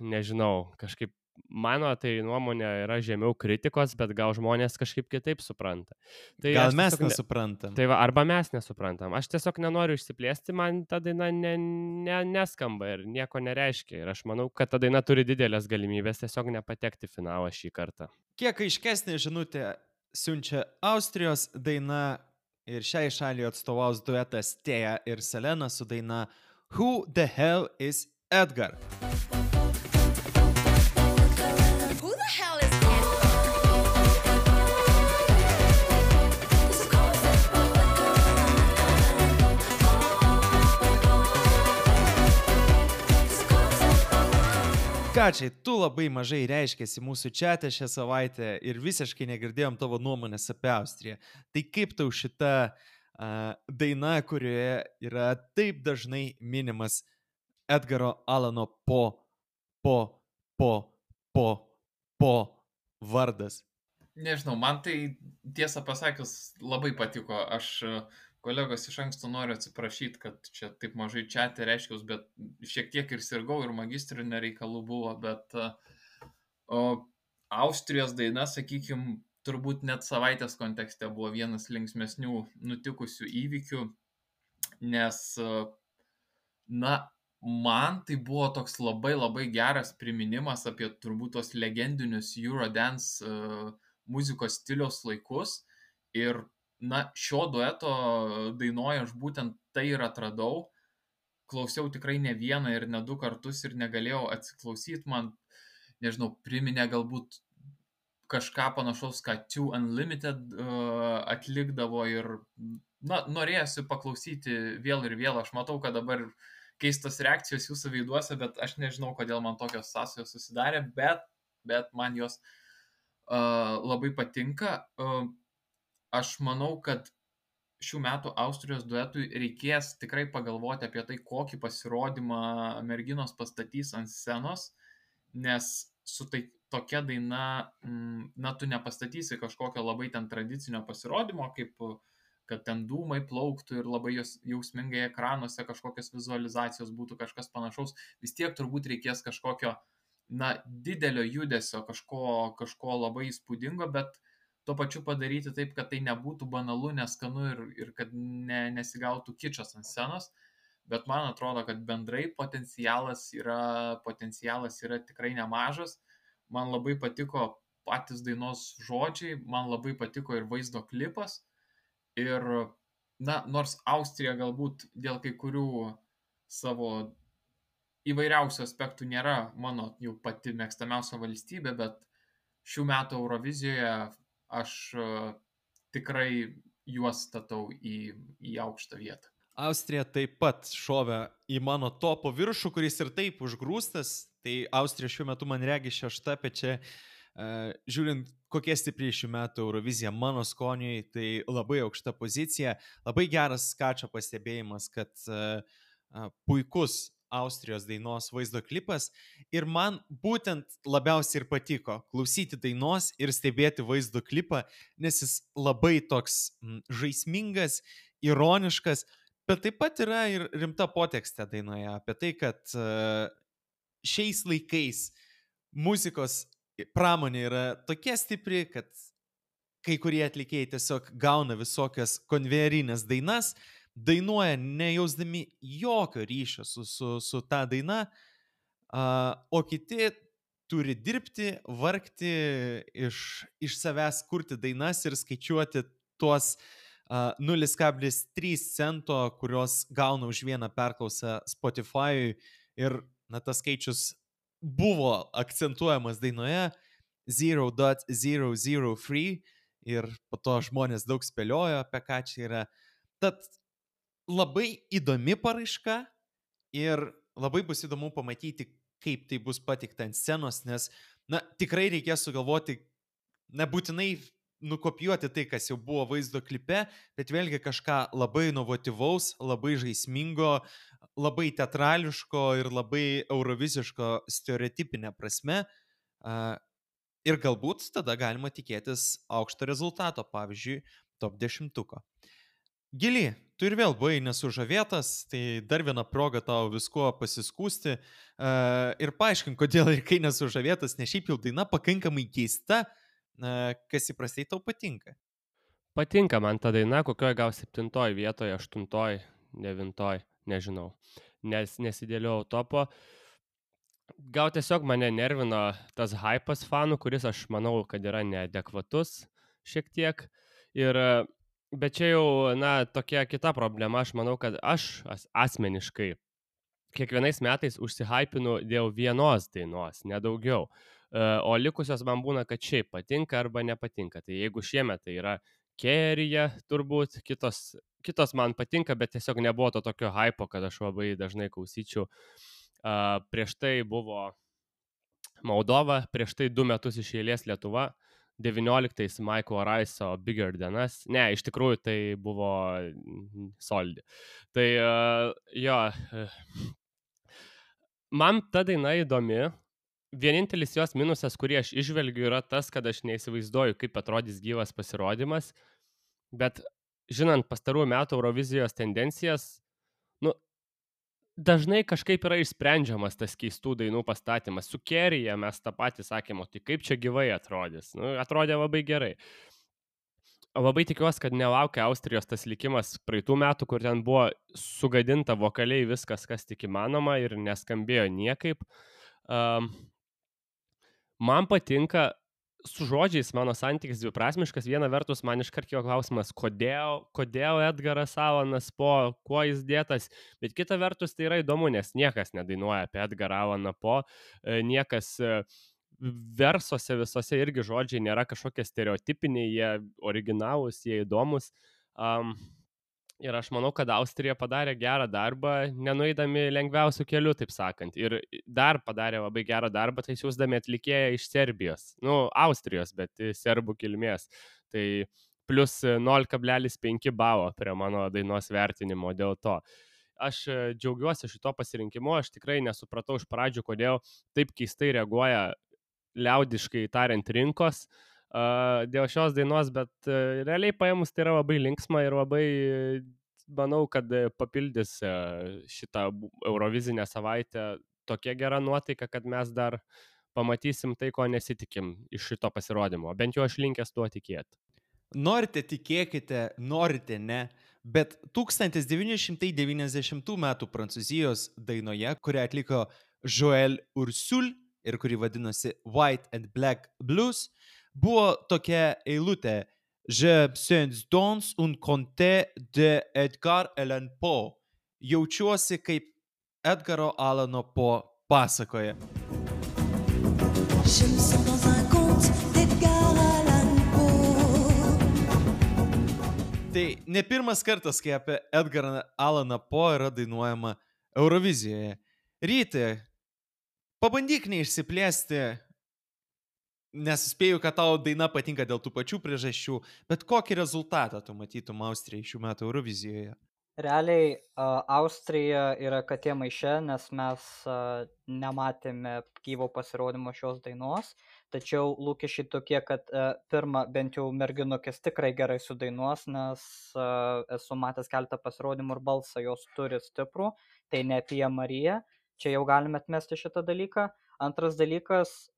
nežinau, kažkaip mano tai nuomonė yra žemiau kritikos, bet gal žmonės kažkaip kitaip supranta. Tai gal mes nesuprantam. Tai arba mes nesuprantam. Aš tiesiog nenoriu išsiplėsti, man ta daina neskamba ir nieko nereiškia. Ir aš manau, kad ta daina turi didelės galimybės tiesiog nepatekti finalą šį kartą. Kiek aiškesnė žinutė siunčia Austrijos daina ir šiai šaliai atstovaus duetas Teja ir Selena su daina Who the Hell is Edgar? Skačiai, tu labai mažai reiškėsi mūsų čiate šią savaitę ir visiškai negirdėjom tavo nuomonės apie Austriją. Tai kaip tau šita daina, kurioje yra taip dažnai minimas Edgaro Alano po vardas? Nežinau, man tai tiesą pasakius labai patiko. Aš kolegos iš anksto noriu atsiprašyti, kad čia taip mažai čiate reiškiaus, bet šiek tiek ir sirgau, ir magistrinė reikalų buvo, bet Austrijos daina, sakykime, turbūt net savaitės kontekste buvo vienas linksmesnių nutikusių įvykių, nes, na, man tai buvo toks labai labai geras priminimas apie turbūt tos legendinius Eurodance muzikos stiliaus laikus ir, na, šio dueto dainoje aš būtent tai ir atradau. Klausiau tikrai ne vieną ir ne du kartus ir negalėjau atsiklausyti, man, nežinau, priminė galbūt kažką panašaus, ką Two Unlimited atlikdavo ir, na, norėjusi paklausyti vėl ir vėl. Aš matau, kad dabar keistos reakcijos jūsų veiduose, bet aš nežinau, kodėl man tokios sąsajos susidarė, bet man jos labai patinka. Aš manau, kad šių metų Austrijos duetui reikės tikrai pagalvoti apie tai, kokį pasirodymą merginos pastatys ant scenos, nes su tokia daina, na, tu nepastatysi kažkokio labai ten tradicinio pasirodymo, kaip kad ten dūmai plauktų ir labai jausmingai ekranuose kažkokios vizualizacijos būtų, kažkas panašaus. Vis tiek turbūt reikės kažkokio, na, didelio judesio, kažko labai įspūdingo, bet tuo pačiu padaryti taip, kad tai nebūtų banalu, neskanu ir kad nesigautų kičas ant scenos. Bet man atrodo, kad bendrai potencialas yra tikrai nemažas. Man labai patiko patys dainos žodžiai, man labai patiko ir vaizdo klipas. Ir, na, nors Austrija galbūt dėl kai kurių savo įvairiausių aspektų nėra mano jau pati mėgstamiausia valstybė, bet šių metų Eurovizijoje aš tikrai juos statau į aukštą vietą. Austrija taip pat šovė į mano topo viršų, kuris ir taip užgrūstas. Tai Austrija šiuo metu man regi 6, bet čia žiūrint, kokie stipriai šių metų Eurovizija mano skoniui, tai labai aukšta pozicija. Labai geras Skačio pastebėjimas, kad puikus Austrijos dainos vaizdo klipas ir man būtent labiausiai ir patiko klausyti dainos ir stebėti vaizdo klipą, nes jis labai toks žaismingas, ironiškas, bet taip pat yra ir rimta potekstė dainoje apie tai, kad šiais laikais muzikos pramonė yra tokia stipri, kad kai kurie atlikėjai tiesiog gauna visokias konvejerinės dainas, dainuoja nejausdami jokio ryšio su ta daina, o kiti turi dirbti, vargti, iš savęs kurti dainas ir skaičiuoti tuos 0,3 cento, kurios gauna už vieną perklausą Spotify. Ir, na, tas skaičius buvo akcentuojamas dainoje 0.003 ir po to žmonės daug spėliojo, apie ką čia yra. Tad labai įdomi paraiška ir labai bus įdomu pamatyti, kaip tai bus pateikta ant scenos, nes, na, tikrai reikės sugalvoti, nebūtinai nukopijuoti tai, kas jau buvo vaizdo klipe, bet vėlgi kažką labai inovatyvaus, labai žaismingo, labai teatrališko ir labai euroviziško stereotipinė prasme. Ir galbūt tada galima tikėtis aukšto rezultato, pavyzdžiui, top 10. Gili, tu ir vėl buvai nesužavėtas, tai dar viena proga tau viskuo pasiskūsti ir paaiškink, kodėl ir kai nesužavėtas, nes šiaip jau daina pakankamai keista, kas įprastai tau patinka. Patinka man ta daina, kokioje gal 7 vietoje, 8, 9, nežinau, nes nesidėliau topo. Gal tiesiog mane nervino tas hypas fanų, kuris aš manau, kad yra neadekvatus šiek tiek. Bet čia jau, na, tokia kita problema, aš manau, kad aš asmeniškai kiekvienais metais užsihypinu dėl vienos dainos, nedaugiau. O likusios man būna, kad šiaip patinka arba nepatinka. Tai jeigu šiemet tai yra Kerija, turbūt kitos man patinka, bet tiesiog nebuvo to tokio hypo, kad aš labai dažnai klausyčiau. Prieš tai buvo Moldova, prieš tai 2 metus iš eilės Lietuva, 19 Michael Rice'o Bigger Than Us. Ne, iš tikrųjų tai buvo solidi. Tai jo, man ta daina įdomi. Vienintelis jos minusas, kurį aš išvelgiu, yra tas, kad aš neįsivaizduoju, kaip atrodys gyvas pasirodymas, bet žinant pastarųjų metų Eurovizijos tendencijas, dažnai kažkaip yra išsprendžiamas tas keistų dainų pastatymas. Su Kerija mes tą patį sakėme, tai kaip čia gyvai atrodys. Atrodė labai gerai. Labai tikiuosi, kad nelaukia Austrijos tas likimas praeitų metų, kur ten buvo sugadinta vokaliai viskas, kas tik įmanoma ir neskambėjo niekaip. Man patinka, su žodžiais mano santykis dviprasmiškas. Viena vertus, man iškart kilo klausimas, kodėl Edgaras Alanas Po, kuo jis dėtas, bet kita vertus tai yra įdomu, nes niekas nedainuoja apie Edgarą Alaną Po, niekas versuose visose irgi žodžiai nėra kažkokie stereotipiniai, jie originalūs, jie įdomus. Ir aš manau, kad Austrija padarė gerą darbą, nenueidami lengviausių kelių, taip sakant. Ir dar padarė labai gerą darbą, tai siūsdami atlikėją iš Serbijos. Austrijos, bet serbų kilmės. Tai plus 0,5 balo prie mano dainos vertinimo dėl to. Aš džiaugiuosi šito pasirinkimu, aš tikrai nesupratau iš pradžių, kodėl taip keistai reaguoja liaudiškai tariant rinkos dėl šios dainos, bet realiai paėmus tai yra labai linksma ir labai, manau, kad papildys šitą Eurovizinę savaitę tokia gera nuotaika, kad mes dar pamatysim tai, ko nesitikim iš šito pasirodymo. Bent jau aš linkęs tuo tikėti. Norite tikėkite, norite ne, bet 1990 metų Prancūzijos dainoje, kurią atliko Joël Ursule ir kuri vadinosi White and Black Blues, buvo tokia eilutė Je suis dans un conte de Edgar Allan Poe. Jaučiuosi kaip Edgaro Alano Poe pasakoje. Je me sens dans un conte d'Edgar Allan Poe. Tai ne pirmas kartas, kai apie Edgarą Alaną Poe yra dainuojama Eurovizijoje. Ryti, pabandyk neišsiplėsti, nes spėju, kad tau daina patinka dėl tų pačių priežasčių, bet kokį rezultatą tu matytum Austrijai šių metų Eurovizijoje? Realiai Austrija yra katė maiše, nes mes nematėme gyvo pasirodymo šios dainos, tačiau lūkesčiai tokie, kad pirmą bent jau merginukės tikrai gerai sudainuos, nes esu matęs keletą pasirodymų ir balsą jos turi stiprų, tai ne apie Mariją, čia jau galime atmesti šitą dalyką. Antras dalykas,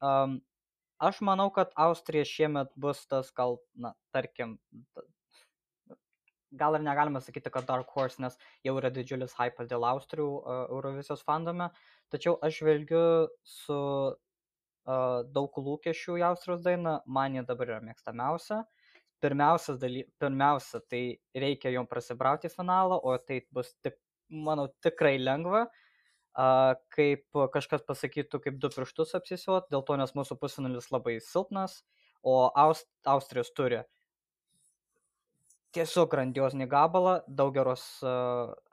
aš manau, kad Austrija šiemet bus tas gal, tarkim, gal ir negalime sakyti, kad Dark Horse, nes jau yra didžiulis hypas dėl Austrijų Eurovizijos fandome, tačiau aš žvelgiu su daug lūkesčių į Austrijos dainą, man jie dabar yra mėgstamiausia. Pirmiausia, tai reikia jom prasibrauti į finalą, o tai bus, manau, tikrai lengva. Kaip kažkas pasakytų, kaip 2 pirštus apsisiuot, dėl to, nes mūsų pusfinalis labai silpnas, o Austrijos turi tiesiog grandiozinį gabalą, daug geros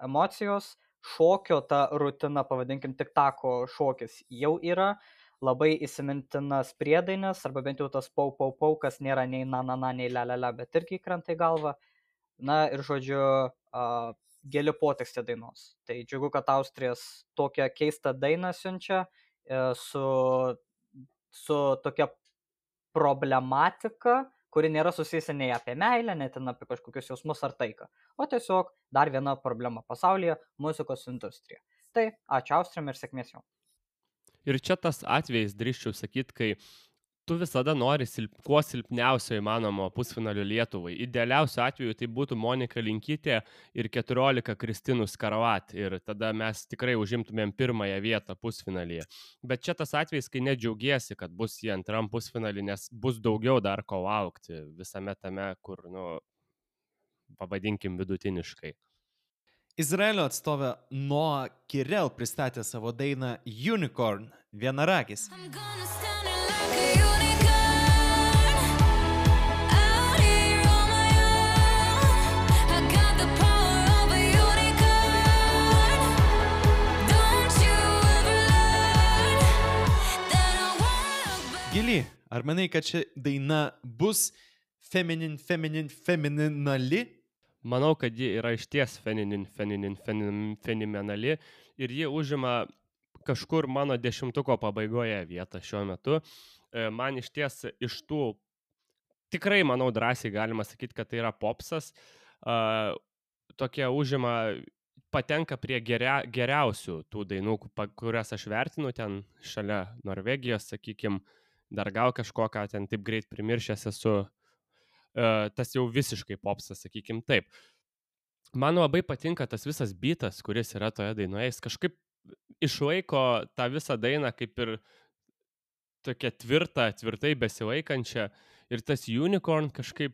emocijos, šokio, ta rutina, pavadinkim, tiktako šokis jau yra, labai įsimintinas priedainis, arba bent jau tas pau, kas nėra nei na, nei la, bet irgi krenta į galvą. Na ir žodžiu, gili potekstė dainos. Tai džiugu, kad Austrijas tokią keistą dainą siunčia su tokia problematika, kuri nėra susijusi nei apie meilę, net apie kažkokius jausmus ar taiką, o tiesiog dar viena problema pasaulyje - muzikos industrija. Tai ačiū Austrijam ir sėkmės jom. Ir čia tas atvejis, drįsčiau sakyti, kai tu visada nori kuo silpniausio įmanomo pusfinalio Lietuvai. Idealiausiu atveju tai būtų Monika Linkytė ir 14 Kristinų Skaravat. Ir tada mes tikrai užimtumėm pirmąją vietą pusfinalyje. Bet čia tas atvejis, kai nedžiaugiesi, kad bus į antram pusfinalį, nes bus daugiau dar ko laukti visame tame, kur, pavadinkim vidutiniškai. Izraelio atstovė Noa Kirel pristatė savo dainą Unicorn, vienaragis. I'm gonna stand it like a unicorn out here on my own. I got the power of a unicorn. Don't you ever learn that I won't Ar manai, kad ši daina bus fenomenali? Manau, kad ji yra išties fenomenali ir ji užima kažkur mano 10-tuko pabaigoje vietą šiuo metu. Man išties iš tų, tikrai manau drąsiai galima sakyti, kad tai yra popsas, tokia užima, patenka prie geriausių tų dainų, kurias aš vertinu ten šalia Norvegijos, sakykime, dar gal kažkoką ten taip greit primiršęs esu, tas jau visiškai popsas, sakykime taip. Man labai patinka tas visas beatas, kuris yra toje dainoje, jis kažkaip išlaiko tą visą dainą kaip ir tokia tvirtai besilaikančią ir tas unicorn kažkaip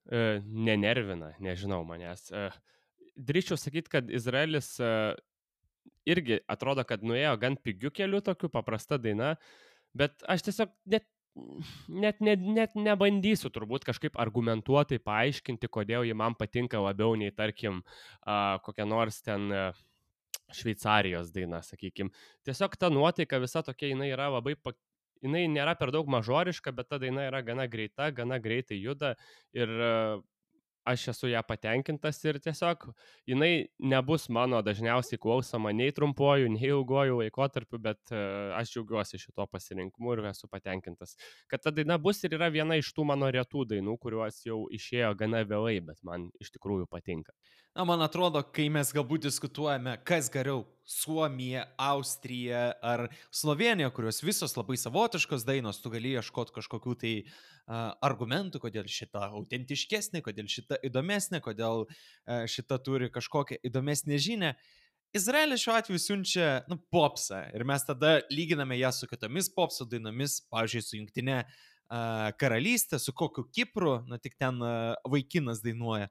nenervina, nežinau manęs. Drįsčiau sakyti, kad Izraelis irgi atrodo, kad nuėjo gan pigiu keliu tokiu, paprasta daina, bet aš tiesiog net nebandysiu turbūt kažkaip argumentuotai paaiškinti, kodėl ji man patinka labiau nei, tarkim, kokia nors ten Šveicarijos daina, sakykime. Tiesiog ta nuotaika visa tokia, jinai yra labai, jinai nėra per daug mažoriška, bet ta daina yra gana greita, gana greitai juda ir aš esu ją patenkintas ir tiesiog jinai nebus mano dažniausiai klausoma nei trumpuoju, nei ilguoju laikotarpiu, bet aš džiaugiuosi šito pasirinkimu ir esu patenkintas. Kad ta daina bus ir yra viena iš tų mano retų dainų, kuriuos jau išėjo gana vėlai, bet man iš tikrųjų patinka. Na, man atrodo, kai mes galbūt diskutuojame, kas geriau - Suomija, Austrija ar Slovenija, kurios visos labai savotiškos dainos, tu gali ieškoti kažkokių tai argumentų, kodėl šita autentiškesnė, kodėl šita įdomesnė, kodėl šita turi kažkokią įdomesnę žinią. Izraelis šiuo atveju siunčia popsą ir mes tada lyginame ją su kitomis popso dainomis, pavyzdžiui, su Jungtinė karalystė, su kokiu Kipru, tik ten vaikinas dainuoja.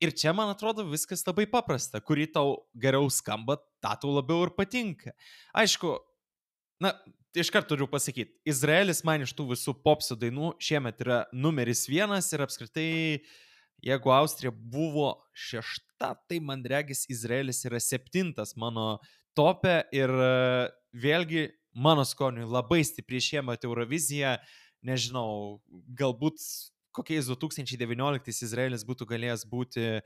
Ir čia, man atrodo, viskas labai paprasta, kuri tau geriau skamba, tą tau labiau ir patinka. Aišku, iškart turiu pasakyti, Izraelis man iš tų visų popso dainų šiemet yra numeris 1 ir apskritai, jeigu Austrija buvo 6, tai man regis Izraelis yra 7 mano tope ir vėlgi mano skoniui labai stipriai šiemet Eurovizija, nežinau, galbūt kokiais 2019 Izraelis būtų galėjęs būti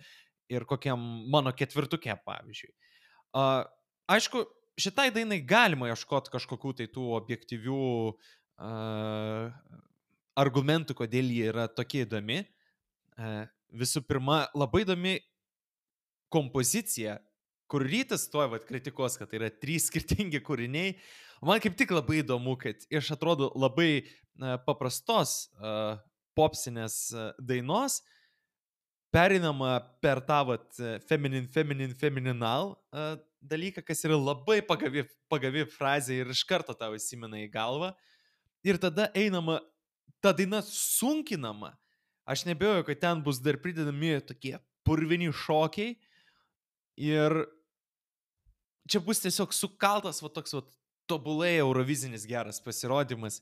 ir kokiam mano 4-uke, pavyzdžiui. Aišku, šitai dainai galima ieškoti kažkokių tai tų objektyvių argumentų, kodėl jie yra tokie įdomi. Visų pirma, labai įdomi kompozicija, kur Rytas tuoj kritikos, kad tai yra 3 skirtingi kūriniai. Man kaip tik labai įdomu, kad iš atrodo labai paprastos popsinės dainos perinama per tą femininal dalyką, kas yra labai pagavi frazė ir iš karto tau įsimena į galvą. Ir tada einama, ta daina sunkinama. Aš nebejoju, kad ten bus dar pridedami tokie purvini šokiai. Ir čia bus tiesiog sukaltas toks tobulai eurovizinis geras pasirodymas.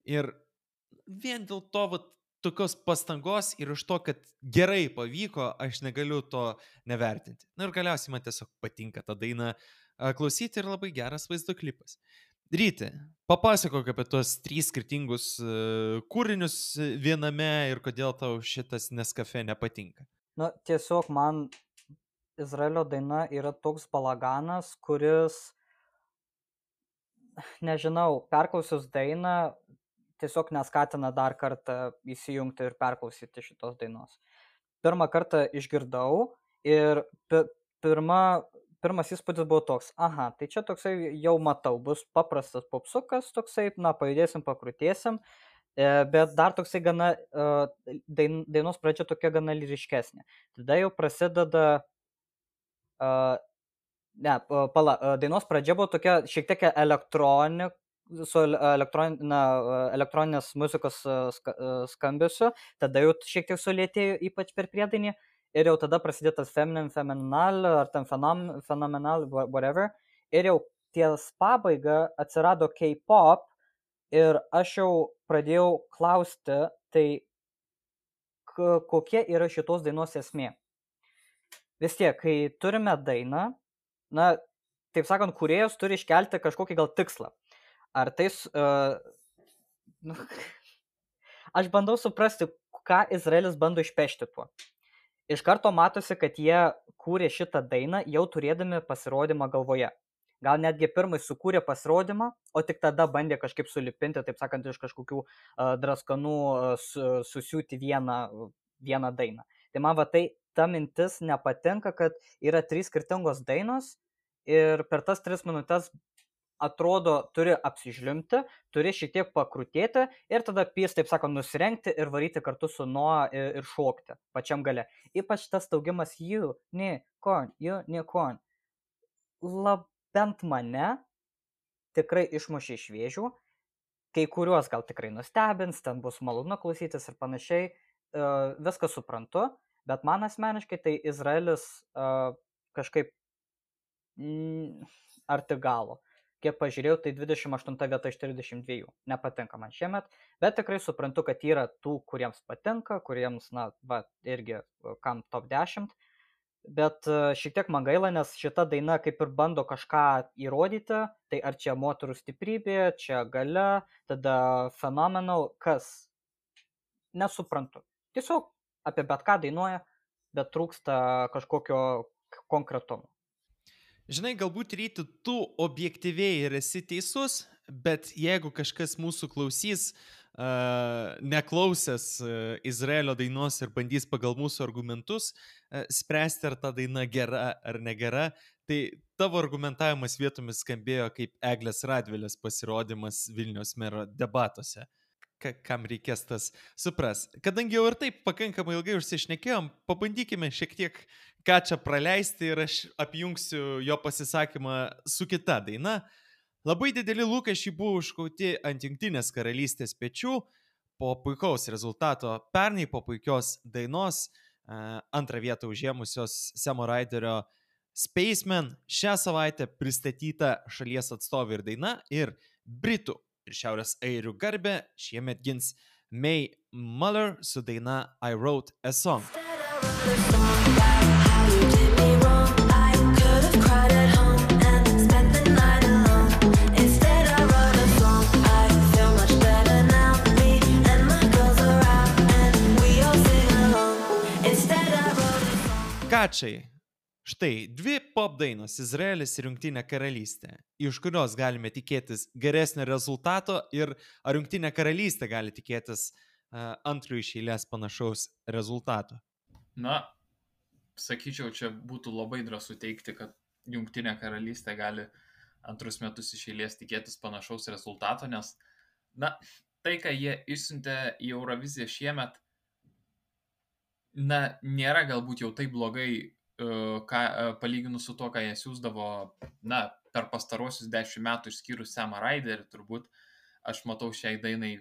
Ir vien dėl to tokios pastangos ir iš to, kad gerai pavyko, aš negaliu to nevertinti. Ir galiausiai man tiesiog patinka tą dainą klausyti ir labai geras vaizdo klipas. Ryti, papasakok apie tos 3 skirtingus kūrinius viename ir kodėl tau šitas Nescafe nepatinka. Tiesiog man Izraelio daina yra toks balaganas, kuris, nežinau, perklausius dainą, tiesiog neskatina dar kartą įsijungti ir perklausyti šitos dainos. Pirmą kartą išgirdau ir pirmas įspūdis buvo toks, tai čia toksai jau matau, bus paprastas popsukas toksai, pajudėsim, pakrutėsim, bet dar toksai gana, dainos pradžia tokia gana lyriškesnė. Tada jau prasideda, dainos pradžia buvo tokia šiek tiek su elektroninės muzikos skambesiu, tada jau šiek tiek sulėtėjo, ypač per priedainį, ir jau tada prasidėjo tas fenomenal, ar ten fenomenal, whatever, ir jau ties pabaiga atsirado K-pop, ir aš jau pradėjau klausti, tai kokia yra šitos dainos esmė. Vis tiek, kai turime dainą, taip sakant, kūrėjas turi iškelti kažkokį gal tikslą. Ar tais Nu, aš bandau suprasti, ką Izraelis bando išpešti tuo. Iš karto matosi, kad jie kūrė šitą dainą jau turėdami pasirodymą galvoje. Gal netgi pirmai sukūrė pasirodymą, o tik tada bandė kažkaip sulipinti, taip sakant, iš kažkokių draskanų susiūti vieną dainą. Tai man va tai ta mintis nepatinka, kad yra 3 skirtingos dainos ir per tas 3 minutės atrodo turi apsižliumbti, turi šiek tiek pakrutėti ir tada pys, taip sakant, nusirengti ir varyti kartu su Noa ir šokti pačiam gale. Ypač tas staugimas unicorn. Bent mane tikrai išmušė iš vėžių, kai kuriuos gal tikrai nustebins, ten bus malonu klausytis ir panašiai, viską suprantu, bet man asmeniškai tai Izraelis kažkaip arti galo. Kiek pažiūrėjau, tai 28 vieta iš 32. Nepatinka man šiemet, bet tikrai suprantu, kad yra tų, kuriems patinka, kuriems, irgi kam top 10. Bet šiek tiek man gaila, nes šita daina kaip ir bando kažką įrodyti, tai ar čia moterų stiprybė, čia galia, tada phenomenal, kas? Nesuprantu. Tiesiog apie bet ką dainuoja, bet trūksta kažkokio konkretumo. Žinai, galbūt ryti tu objektyviai ir esi teisus, bet jeigu kažkas mūsų klausys, neklausęs Izraelio dainos ir bandys pagal mūsų argumentus spręsti, ar ta daina gera ar negera, tai tavo argumentavimas vietomis skambėjo kaip Eglės Radvilės pasirodymas Vilniaus mero debatuose. Kam reikės tas supras. Kadangi jau ir taip pakankamai ilgai užsišnekėjom, pabandykime šiek tiek ką čia praleisti ir aš apjungsiu jo pasisakymą su kita daina. Labai dideli lūkesčiai buvo užkauti ant Jungtinės karalystės pečių po puikaus rezultato pernai, po puikios dainos, antrą vietą užėmusios Samo Raiderio Spaceman. Šią savaitę pristatyta šalies atstovė ir daina ir Britų ir Šiaurės airių garbę šiemet gins May Muller su daina I Wrote a Song. Kačiai, štai dvi pop dainos Izraelis ir Jungtinė karalystė, iš kurios galime tikėtis geresnio rezultato ir ar Jungtinė karalystė gali tikėtis antrų iš eilės panašaus rezultato? Na, sakyčiau, čia būtų labai drąsu teikti, kad Jungtinė karalystė gali antrus metus iš eilės tikėtis panašaus rezultato, nes, tai, ką jie išsiuntė į Euroviziją šiemet, nėra galbūt jau taip blogai, palyginus su to, ką jie siūsdavo, per pastarosius 10 metų išskyrus Samą Raiderį, turbūt aš matau šiai dainai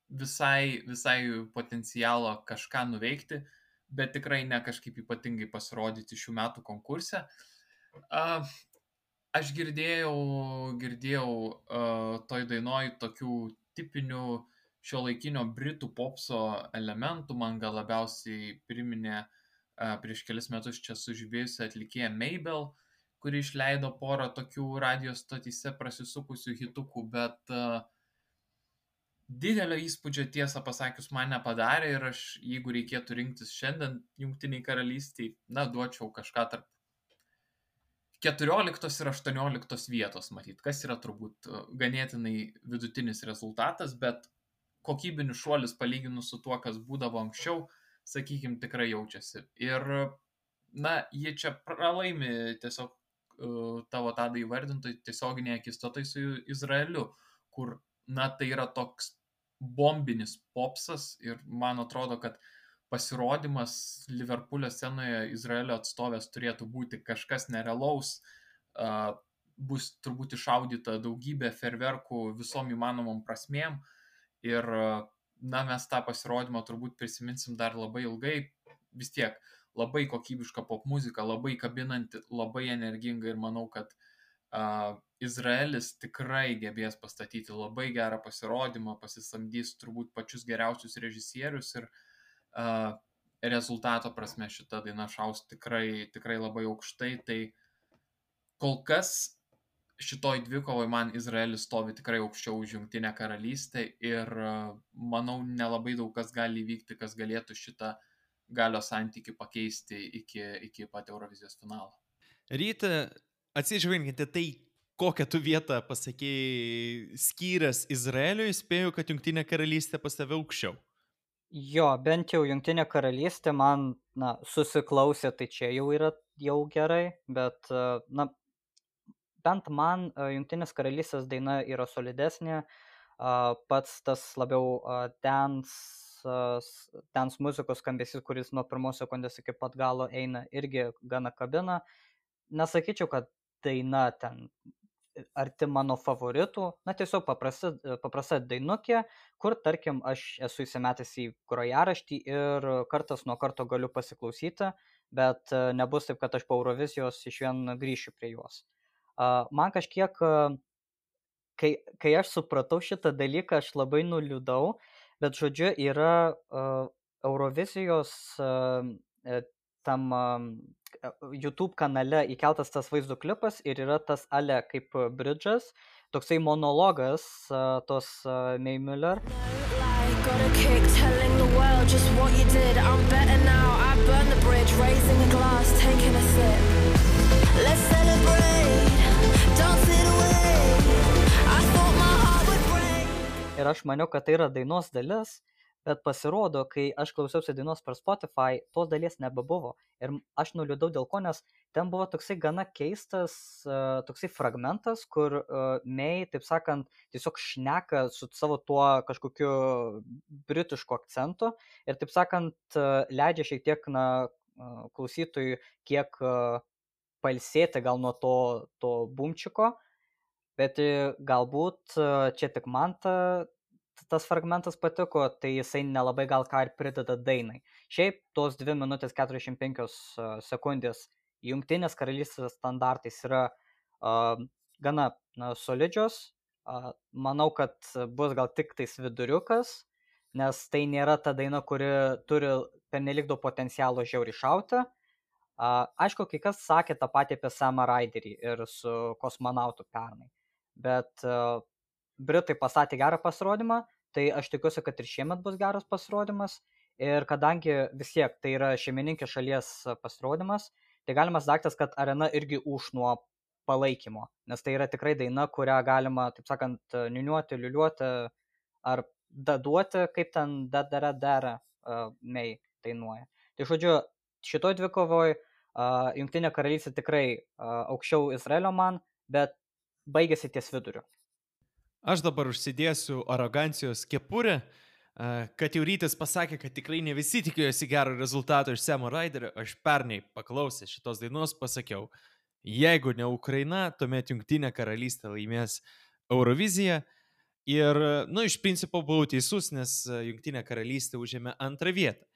visai potencialo kažką nuveikti, bet tikrai ne kažkaip ypatingai pasirodyti šių metų konkurse. Aš girdėjau toj dainoj tokių tipinių šiuolaikinio britų popso elementų, man gal labiausiai priminė prieš kelis metus čia sužibėjusi atlikėja Mabel, kuri išleido porą tokių radijos stotyse prasisukusių hitukų, bet didelio įspūdžio tiesą pasakius man nepadarė ir aš, jeigu reikėtų rinktis šiandien Jungtiniai karalystiai, duočiau kažką tarp 14 ir 18 vietos matyt, kas yra turbūt ganėtinai vidutinis rezultatas, bet kokybinis šuolis palyginus su tuo, kas būdavo anksčiau, sakykime, tikrai jaučiasi. Ir, jie čia pralaimi tiesiog tavo tadai įvardintai tiesioginėje akistatai su Izraeliu, kur, tai yra toks bombinis popsas ir man atrodo, kad pasirodymas Liverpoolio scenoje Izraelio atstovės turėtų būti kažkas nerealaus, bus turbūt iššaudyta daugybė ferverkų visom įmanomom prasmėm. Ir, mes tą pasirodymą turbūt prisiminsim dar labai ilgai, vis tiek labai kokybiška pop muzika, labai kabinanti, labai energinga ir manau, kad Izraelis tikrai gebės pastatyti labai gerą pasirodymą, pasisamdys turbūt pačius geriausius režisierius ir rezultato prasme šita daina šaus tikrai labai aukštai, tai kol kas šitoj dvikovoj man Izraelis stovi tikrai aukščiau už Jungtinę karalystę ir manau nelabai daug kas gali įvykti, kas galėtų šitą galios santykių pakeisti iki pat Eurovizijos finalo. Ryta, atsižvelgiant į tai, kokią tu vietą pasakėjai skyręs Izraeliui, spėju, kad Jungtinė karalystė pas tave aukščiau. Jo, bent jau Jungtinė karalystė man, susiklausė, tai čia jau yra jau gerai, bet, bent man Jungtinės karalystės daina yra solidesnė, pats tas labiau dance muzikos skambesys, kuris nuo pirmos sekundės iki pat galo eina, irgi gana kabina. Nesakyčiau, kad daina ten arti mano favoritų, tiesiog paprasta dainukė, kur, tarkim, aš esu įsimetęs į grojaraštį ir kartas nuo karto galiu pasiklausyti, bet nebus taip, kad aš po Eurovizijos išvien grįšiu prie jos. Man kažkiek, kai aš supratau šitą dalyką, aš labai nuliūdau, bet žodžiu yra Eurovizijos tam YouTube kanale įkeltas tas vaizdo klipas ir yra tas ale kaip bridžas, toksai monologas tos May Muller. Like, got a kick telling the world just what you did. I'm better now. I burned the bridge, raising a glass, taking a sip. Let's celebrate. Don't sit away. I thought my heart would break. Ir aš maniau, kad tai yra dainos dalis, bet pasirodo, kai aš klausiausi dainos per Spotify, tos dalies nebebuvo. Ir aš nuliūdau dėl ko, nes ten buvo toksai gana keistas, toksai fragmentas, kur May, taip sakant, tiesiog šneka su savo tuo kažkokiu britišku akcentu ir, taip sakant, leidžia šiek tiek klausytojui kiek pailsėti gal nuo to bumčiko, bet galbūt čia tik man tas fragmentas patiko, tai jisai nelabai gal ką ir prideda dainai. Šiaip tos 2 minutės 45 sekundės Jungtinės karalystės standartais yra gana solidžios. Manau, kad bus gal tik tais viduriukas, nes tai nėra ta daina, kuri turi pernelyg daug potencialo žiauriai šauti. Aišku, kai kas sakė tą patį apie Samą Raiderį ir su kosmonautu pernai, bet Britai pastatė gerą pasirodymą, tai aš tikiuosi, kad ir šiemet bus geras pasirodymas. Ir kadangi vis tiek tai yra šeimininkės šalies pasirodymas, tai galimas daiktas, kad arena irgi už nuo palaikymo, nes tai yra tikrai daina, kurią galima, taip sakant, niuniuoti, liuliuoti ar daduoti, kaip ten dara May dainuoja. Tai žodžiu, šitoj dvikovoj Jungtinė karalystė tikrai aukščiau Izraelio man, bet baigėsi ties viduriu. Aš dabar užsidėsiu arogancijos kepurę, kad jau Rytis pasakė, kad tikrai ne visi tikėjosi gero rezultato iš Samo Raiderio. Aš pernai paklausęs šitos dainos pasakiau, jeigu ne Ukraina, tuomet Jungtinė karalystė laimės Euroviziją. Ir, iš principo buvau teisus, nes Jungtinė karalystė užėmė 2 vietą.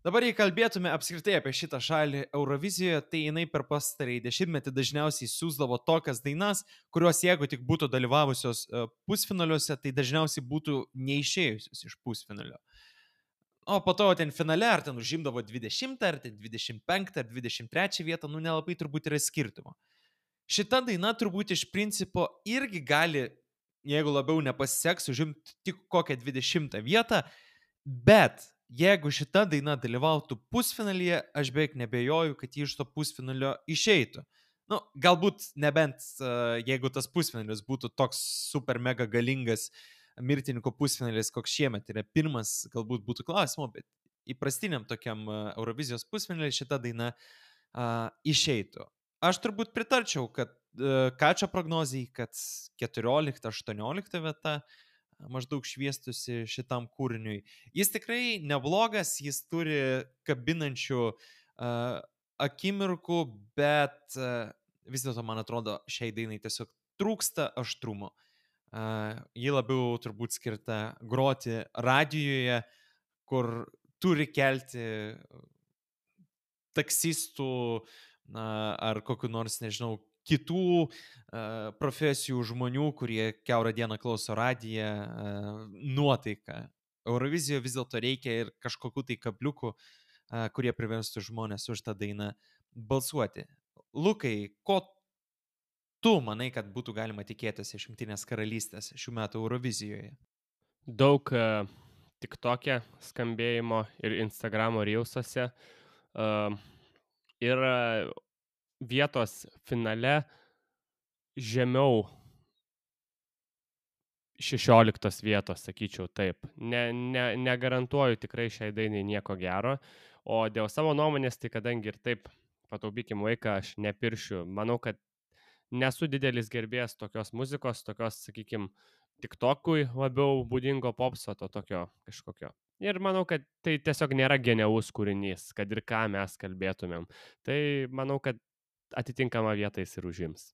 Dabar, jei kalbėtume apskritai apie šitą šalį Eurovizijoje, tai jinai per pastarąjį 10-metį dažniausiai siūsdavo tokias dainas, kurios jeigu tik būtų dalyvavusios pusfinaliuose, tai dažniausiai būtų neišėjusios iš pusfinalio. O po to ten finale, ar ten užimdavo 20, ar ten 25, ar 23 vietą, nelabai turbūt yra skirtumo. Šita daina turbūt iš principo irgi gali, jeigu labiau nepasiseks, užimti tik kokią 20 vietą, bet jeigu šita daina dalyvautų pusfinalyje, aš beveik nebejoju, kad ji iš to pusfinalio išeitų. Galbūt nebent jeigu tas pusfinalis būtų toks super mega galingas mirtininko pusfinalis, koks šiemet yra pirmas, galbūt būtų klausimo, bet įprastiniam tokiam Eurovizijos pusfinaliui šita daina išeitų. Aš turbūt pritarčiau, kad Kačio prognozijai, kad 14-18 vieta maždaug šviestusi šitam kūriniui. Jis tikrai neblogas, jis turi kabinančių akimirkų, bet vis dėlto, man atrodo, šiai dainai tiesiog trūksta aštrumo. Ji labiau turbūt skirta groti radijoje, kur turi kelti taksistų ar kokiu nors, nežinau, kitų profesijų žmonių, kurie kiaurą dieną klauso radiją, nuotaiką. Eurovizijoje vis dėlto reikia ir kažkokių tai kabliukų, kurie priverstų žmonės už tą dainą balsuoti. Lukai, ko tu manai, kad būtų galima tikėtis iš Jungtinės karalystės šių metų Eurovizijoje? Daug TikTok'e skambėjimo ir Instagramo reelsuose. Ir vietos finale žemiau 16 vietos, sakyčiau taip. Negarantuoju tikrai šiai dainai nieko gero. O dėl savo nuomonės, tai kadangi ir taip pataupykim laiką, aš nepiršiu. Manau, kad nesu didelis gerbėjas tokios muzikos, tokios, sakykim, TikTok'ui labiau būdingo popso, to tokio kažkokio. Ir manau, kad tai tiesiog nėra genialus kūrinys, kad ir ką mes kalbėtumėm. Tai manau, kad atitinkamą vietą jis ir užims.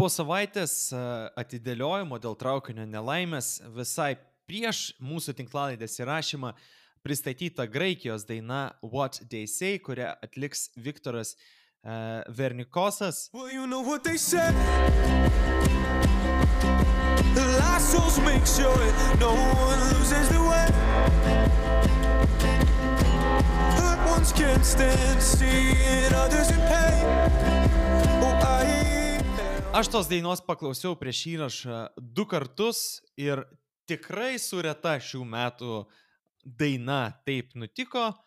Po savaitės atidėliojimo dėl traukinio nelaimės visai prieš mūsų tinklalaidės įrašymą pristatyta Graikijos daina What They Say, kurią atliks Viktoras Vernikosas. Well, you know what they say. The last souls make sure no one loses the way. Hurt ones can't stand seeing others in pain. Aš tos dainos paklausiau prieš įrašą 2 kartus ir tikrai su reta šių metų daina taip nutiko,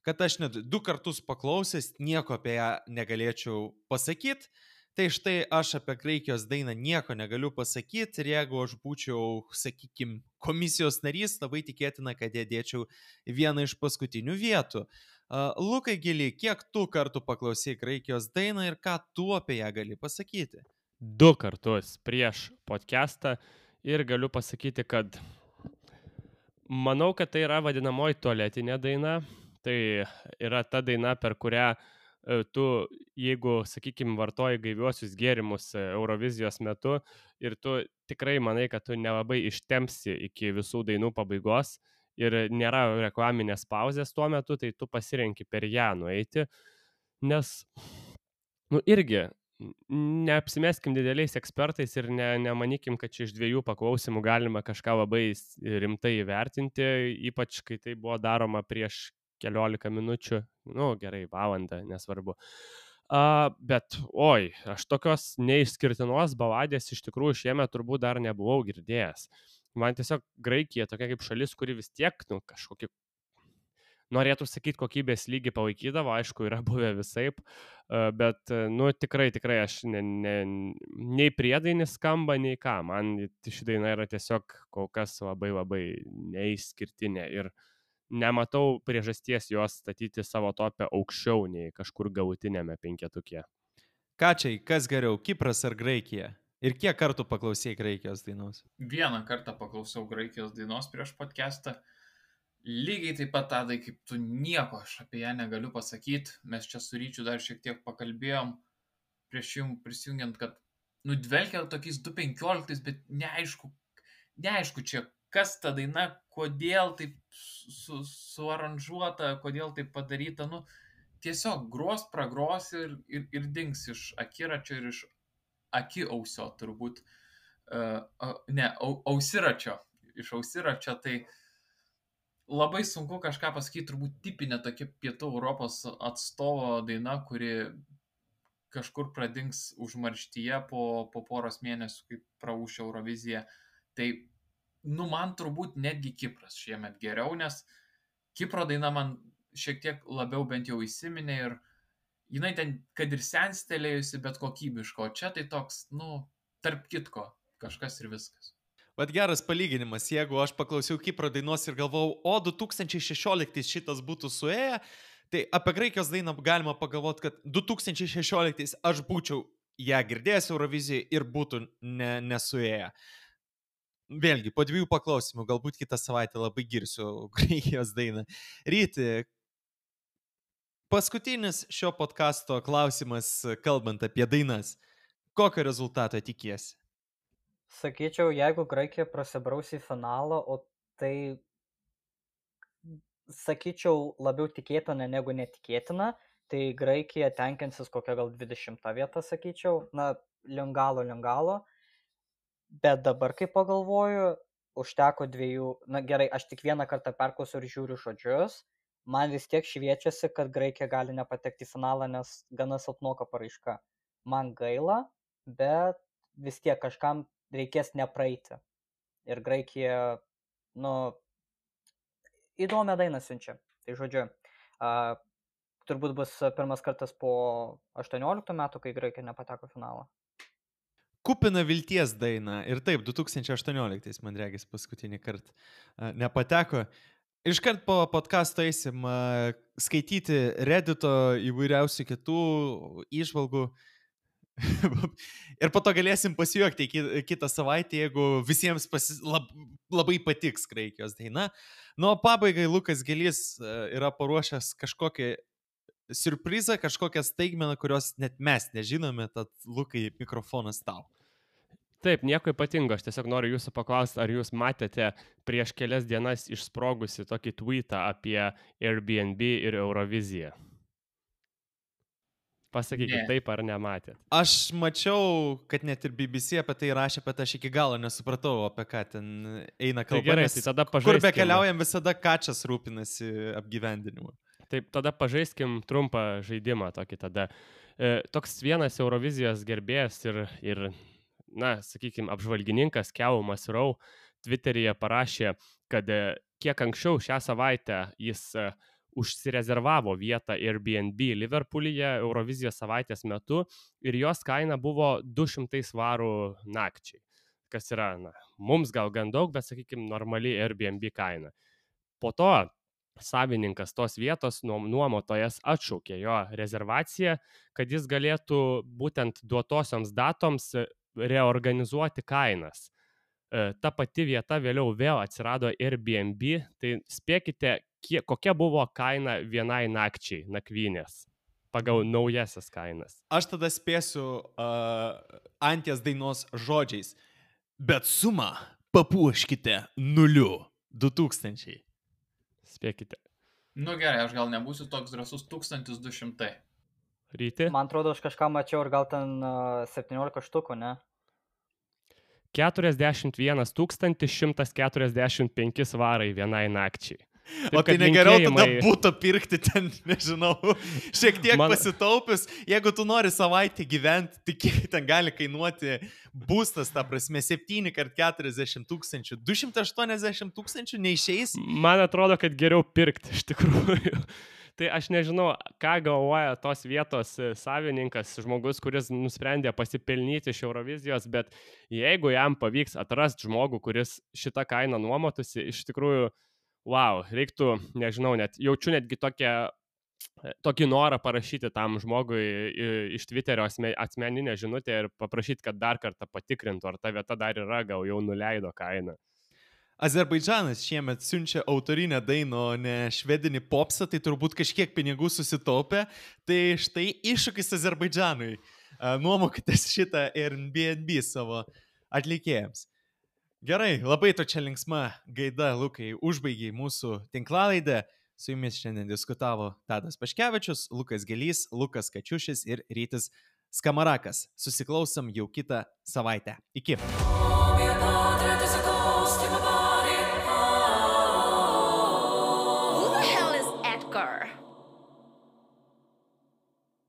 kad aš net 2 kartus paklausęs nieko apie ją negalėčiau pasakyti. Tai štai aš apie Graikijos dainą nieko negaliu pasakyti ir jeigu aš būčiau, sakykim, komisijos narys, labai tikėtina, kad ją dėčiau vieną iš paskutinių vietų. Lukai Gili, kiek tu kartų paklausai Graikijos dainą ir ką tu apie ją gali pasakyti? 2 kartus prieš podcastą ir galiu pasakyti, kad manau, kad tai yra vadinamoji tualetinė daina. Tai yra ta daina, per kurią tu, jeigu, sakykime, vartoji gaiviuosius gėrimus Eurovizijos metu ir tu tikrai manai, kad tu nelabai ištempsi iki visų dainų pabaigos ir nėra reklaminės pauzės tuo metu, tai tu pasirenki per ją nueiti, nes, irgi, neapsimeskim dideliais ekspertais ir nemanykim, kad čia iš 2 paklausimų galima kažką labai rimtai įvertinti, ypač kai tai buvo daroma prieš keliolika minučių, gerai, valandą, nesvarbu. Bet, aš tokios neišskirtinos baladės iš tikrųjų šiemet turbūt dar nebuvau girdėjęs. Man tiesiog Graikija tokia kaip šalis, kuri vis tiek, kažkokį, norėtų sakyti, kokybės lygį palaikydavo, aišku, yra buvę visaip, bet, tikrai aš nei priedainis skamba, nei ką. Man ši daina yra tiesiog kol kas labai neišskirtinė ir nematau priežasties jos statyti savo topę aukščiau nei kažkur galutinėme 5-tuke. Ką čia, kas geriau, Kipras ar Graikija? Ir kiek kartų paklausėjai Graikijos dainos? 1 kartą paklausiau Graikijos dainos prieš podcastą. Lygiai taip pat, Tadai, kaip tu, nieko aš apie ją negaliu pasakyti. Mes čia su Ryčiu dar šiek tiek pakalbėjom prieš jums prisijungiant, kad dvelkia tokiais 2015, bet neaišku čia, kas ta daina, kodėl taip suaranžuota, kodėl taip padaryta. Tiesiog gros, pragros ir dings iš akiračio ir iš akiausio turbūt. Ausiračio. Iš ausiračio, tai labai sunku kažką pasakyti, turbūt tipinė tokia pietų Europos atstovo daina, kuri kažkur pradings užmarštyje po poros mėnesių, kaip praūš Eurovizija. Tai, man turbūt netgi Kipras šiemet geriau, nes Kipro daina man šiek tiek labiau bent jau įsiminė ir jinai ten, kad ir senstelėjusi, bet kokybiško. O čia tai toks, tarp kitko, kažkas ir viskas. Vat geras palyginimas, jeigu aš paklausiau Kipro dainos ir galvojau, 2016 šitas būtų suėję, tai apie Graikijos dainą galima pagalvoti, kad 2016 aš būčiau ją girdėjęs Eurovizijoje ir būtų nesuėję. Vėlgi, po 2 paklausimų, galbūt kitą savaitę labai girsiu Graikijos dainą. Ryti, paskutinis šio podcasto klausimas, kalbant apie dainas. Kokio rezultato tikiesi? Sakyčiau, jeigu Graikija prasibraus į finalą, o tai, sakyčiau, labiau tikėtina negu netikėtina, tai Graikija tenkinsis kokią gal 20 vietą, sakyčiau, link galo. Bet dabar, kai pagalvoju, užteko 2, gerai, aš tik 1 kartą perklausiu ir žiūriu žodžius, man vis tiek šviečiasi, kad Graikija gali nepatekti į finalą, nes gana silpnoka paraiška. Man gaila, bet vis tiek kažkam reikės nepraeiti. Ir Graikija, įdomią dainą siunčia. Tai žodžiu, turbūt bus pirmas kartas po 18 metų, kai Graikija nepateko finalą. Kupina vilties daina. Ir taip, 2018, man regis, paskutinį kartą nepateko. Iškart po podcasto eisim skaityti Reddito įvairiausių kitų įžvalgų. Ir po to galėsim pasijuokti kitą savaitę, jeigu visiems labai patiks Graikijos daina. O pabaigai Lukas Gelys yra paruošęs kažkokį siurprizą, kažkokią staigmeną, kurios net mes nežinome, tad Lukai, mikrofonas tau. Taip, nieko ypatingo, aš tiesiog noriu jūsų paklausti, ar jūs matėte prieš kelias dienas išsprogusi tokį tweetą apie Airbnb ir Euroviziją? Pasakykit, taip ar nematėt? Aš mačiau, kad net ir BBC apie tai rašė, bet aš iki galo nesupratau, apie ką ten eina kalba. Tai gerai, tai tada pažaiskim. Kur bekeliaujam, visada Kačas rūpinasi apgyvendinimu. Taip, tada pažaiskim trumpą žaidimą tokį tada. Toks vienas Eurovizijos gerbėjas ir sakykime, apžvalgininkas Keumas Rau Twitteryje parašė, kad kiek anksčiau šią savaitę jis užsirezervavo vietą Airbnb Liverpoolyje Eurovizijos savaitės metu ir jos kaina buvo 200 svarų nakčiai, kas yra, mums gal gan daug, bet, sakykime, normali Airbnb kaina. Po to savininkas tos vietos nuomotojas atšaukė jo rezervaciją, kad jis galėtų būtent duotosioms datoms reorganizuoti kainas. Ta pati vieta vėliau vėl atsirado Airbnb, tai spėkite, kokia buvo kaina vienai nakčiai nakvynės pagal naujasias kainas. Aš tada spėsiu Antės dainos žodžiais, bet sumą papuoškite 2000. Spėkite. Gerai, aš gal nebūsiu toks drąsus, 1200. Ryti? Man atrodo, aš kažką mačiau ir gal ten 17 štukų, ne? 41 145 svarai vienai nakčiai. O tai negeriau tada būtų pirkti ten, nežinau, šiek tiek pasitaupius. Jeigu tu nori savaitę gyventi, tai kiek ten gali kainuoti būstas, ta prasme, 7 x 40 tūkstančių, 280 tūkstančių neišeis? Man atrodo, kad geriau pirkti iš tikrųjų. Tai aš nežinau, ką galvoja tos vietos savininkas, žmogus, kuris nusprendė pasipelnyti iš Eurovizijos, bet jeigu jam pavyks atrasti žmogų, kuris šitą kainą nuomotųsi, iš tikrųjų, wow, reiktų, nežinau, jaučiu netgi tokį norą parašyti tam žmogui iš Twitterio asmeninę žinutę ir paprašyti, kad dar kartą patikrintų, ar ta vieta dar yra, gal jau nuleido kainą. Azerbaidžanas šiemet siunčia autorinę dainą, o ne švedinį popsą, tai turbūt kažkiek pinigų susitaupė. Tai štai iššūkis Azerbaidžanui. Nuomokitės šitą Airbnb savo atlikėjams. Gerai, labai to čia linksma gaida, Lukai, užbaigiai mūsų tinklalaidę. Su jumis šiandien diskutavo Tadas Paškevičius, Lukas Gelys, Lukas Kačiušis ir Rytis Skamarakas. Susiklausom jau kitą savaitę. Iki.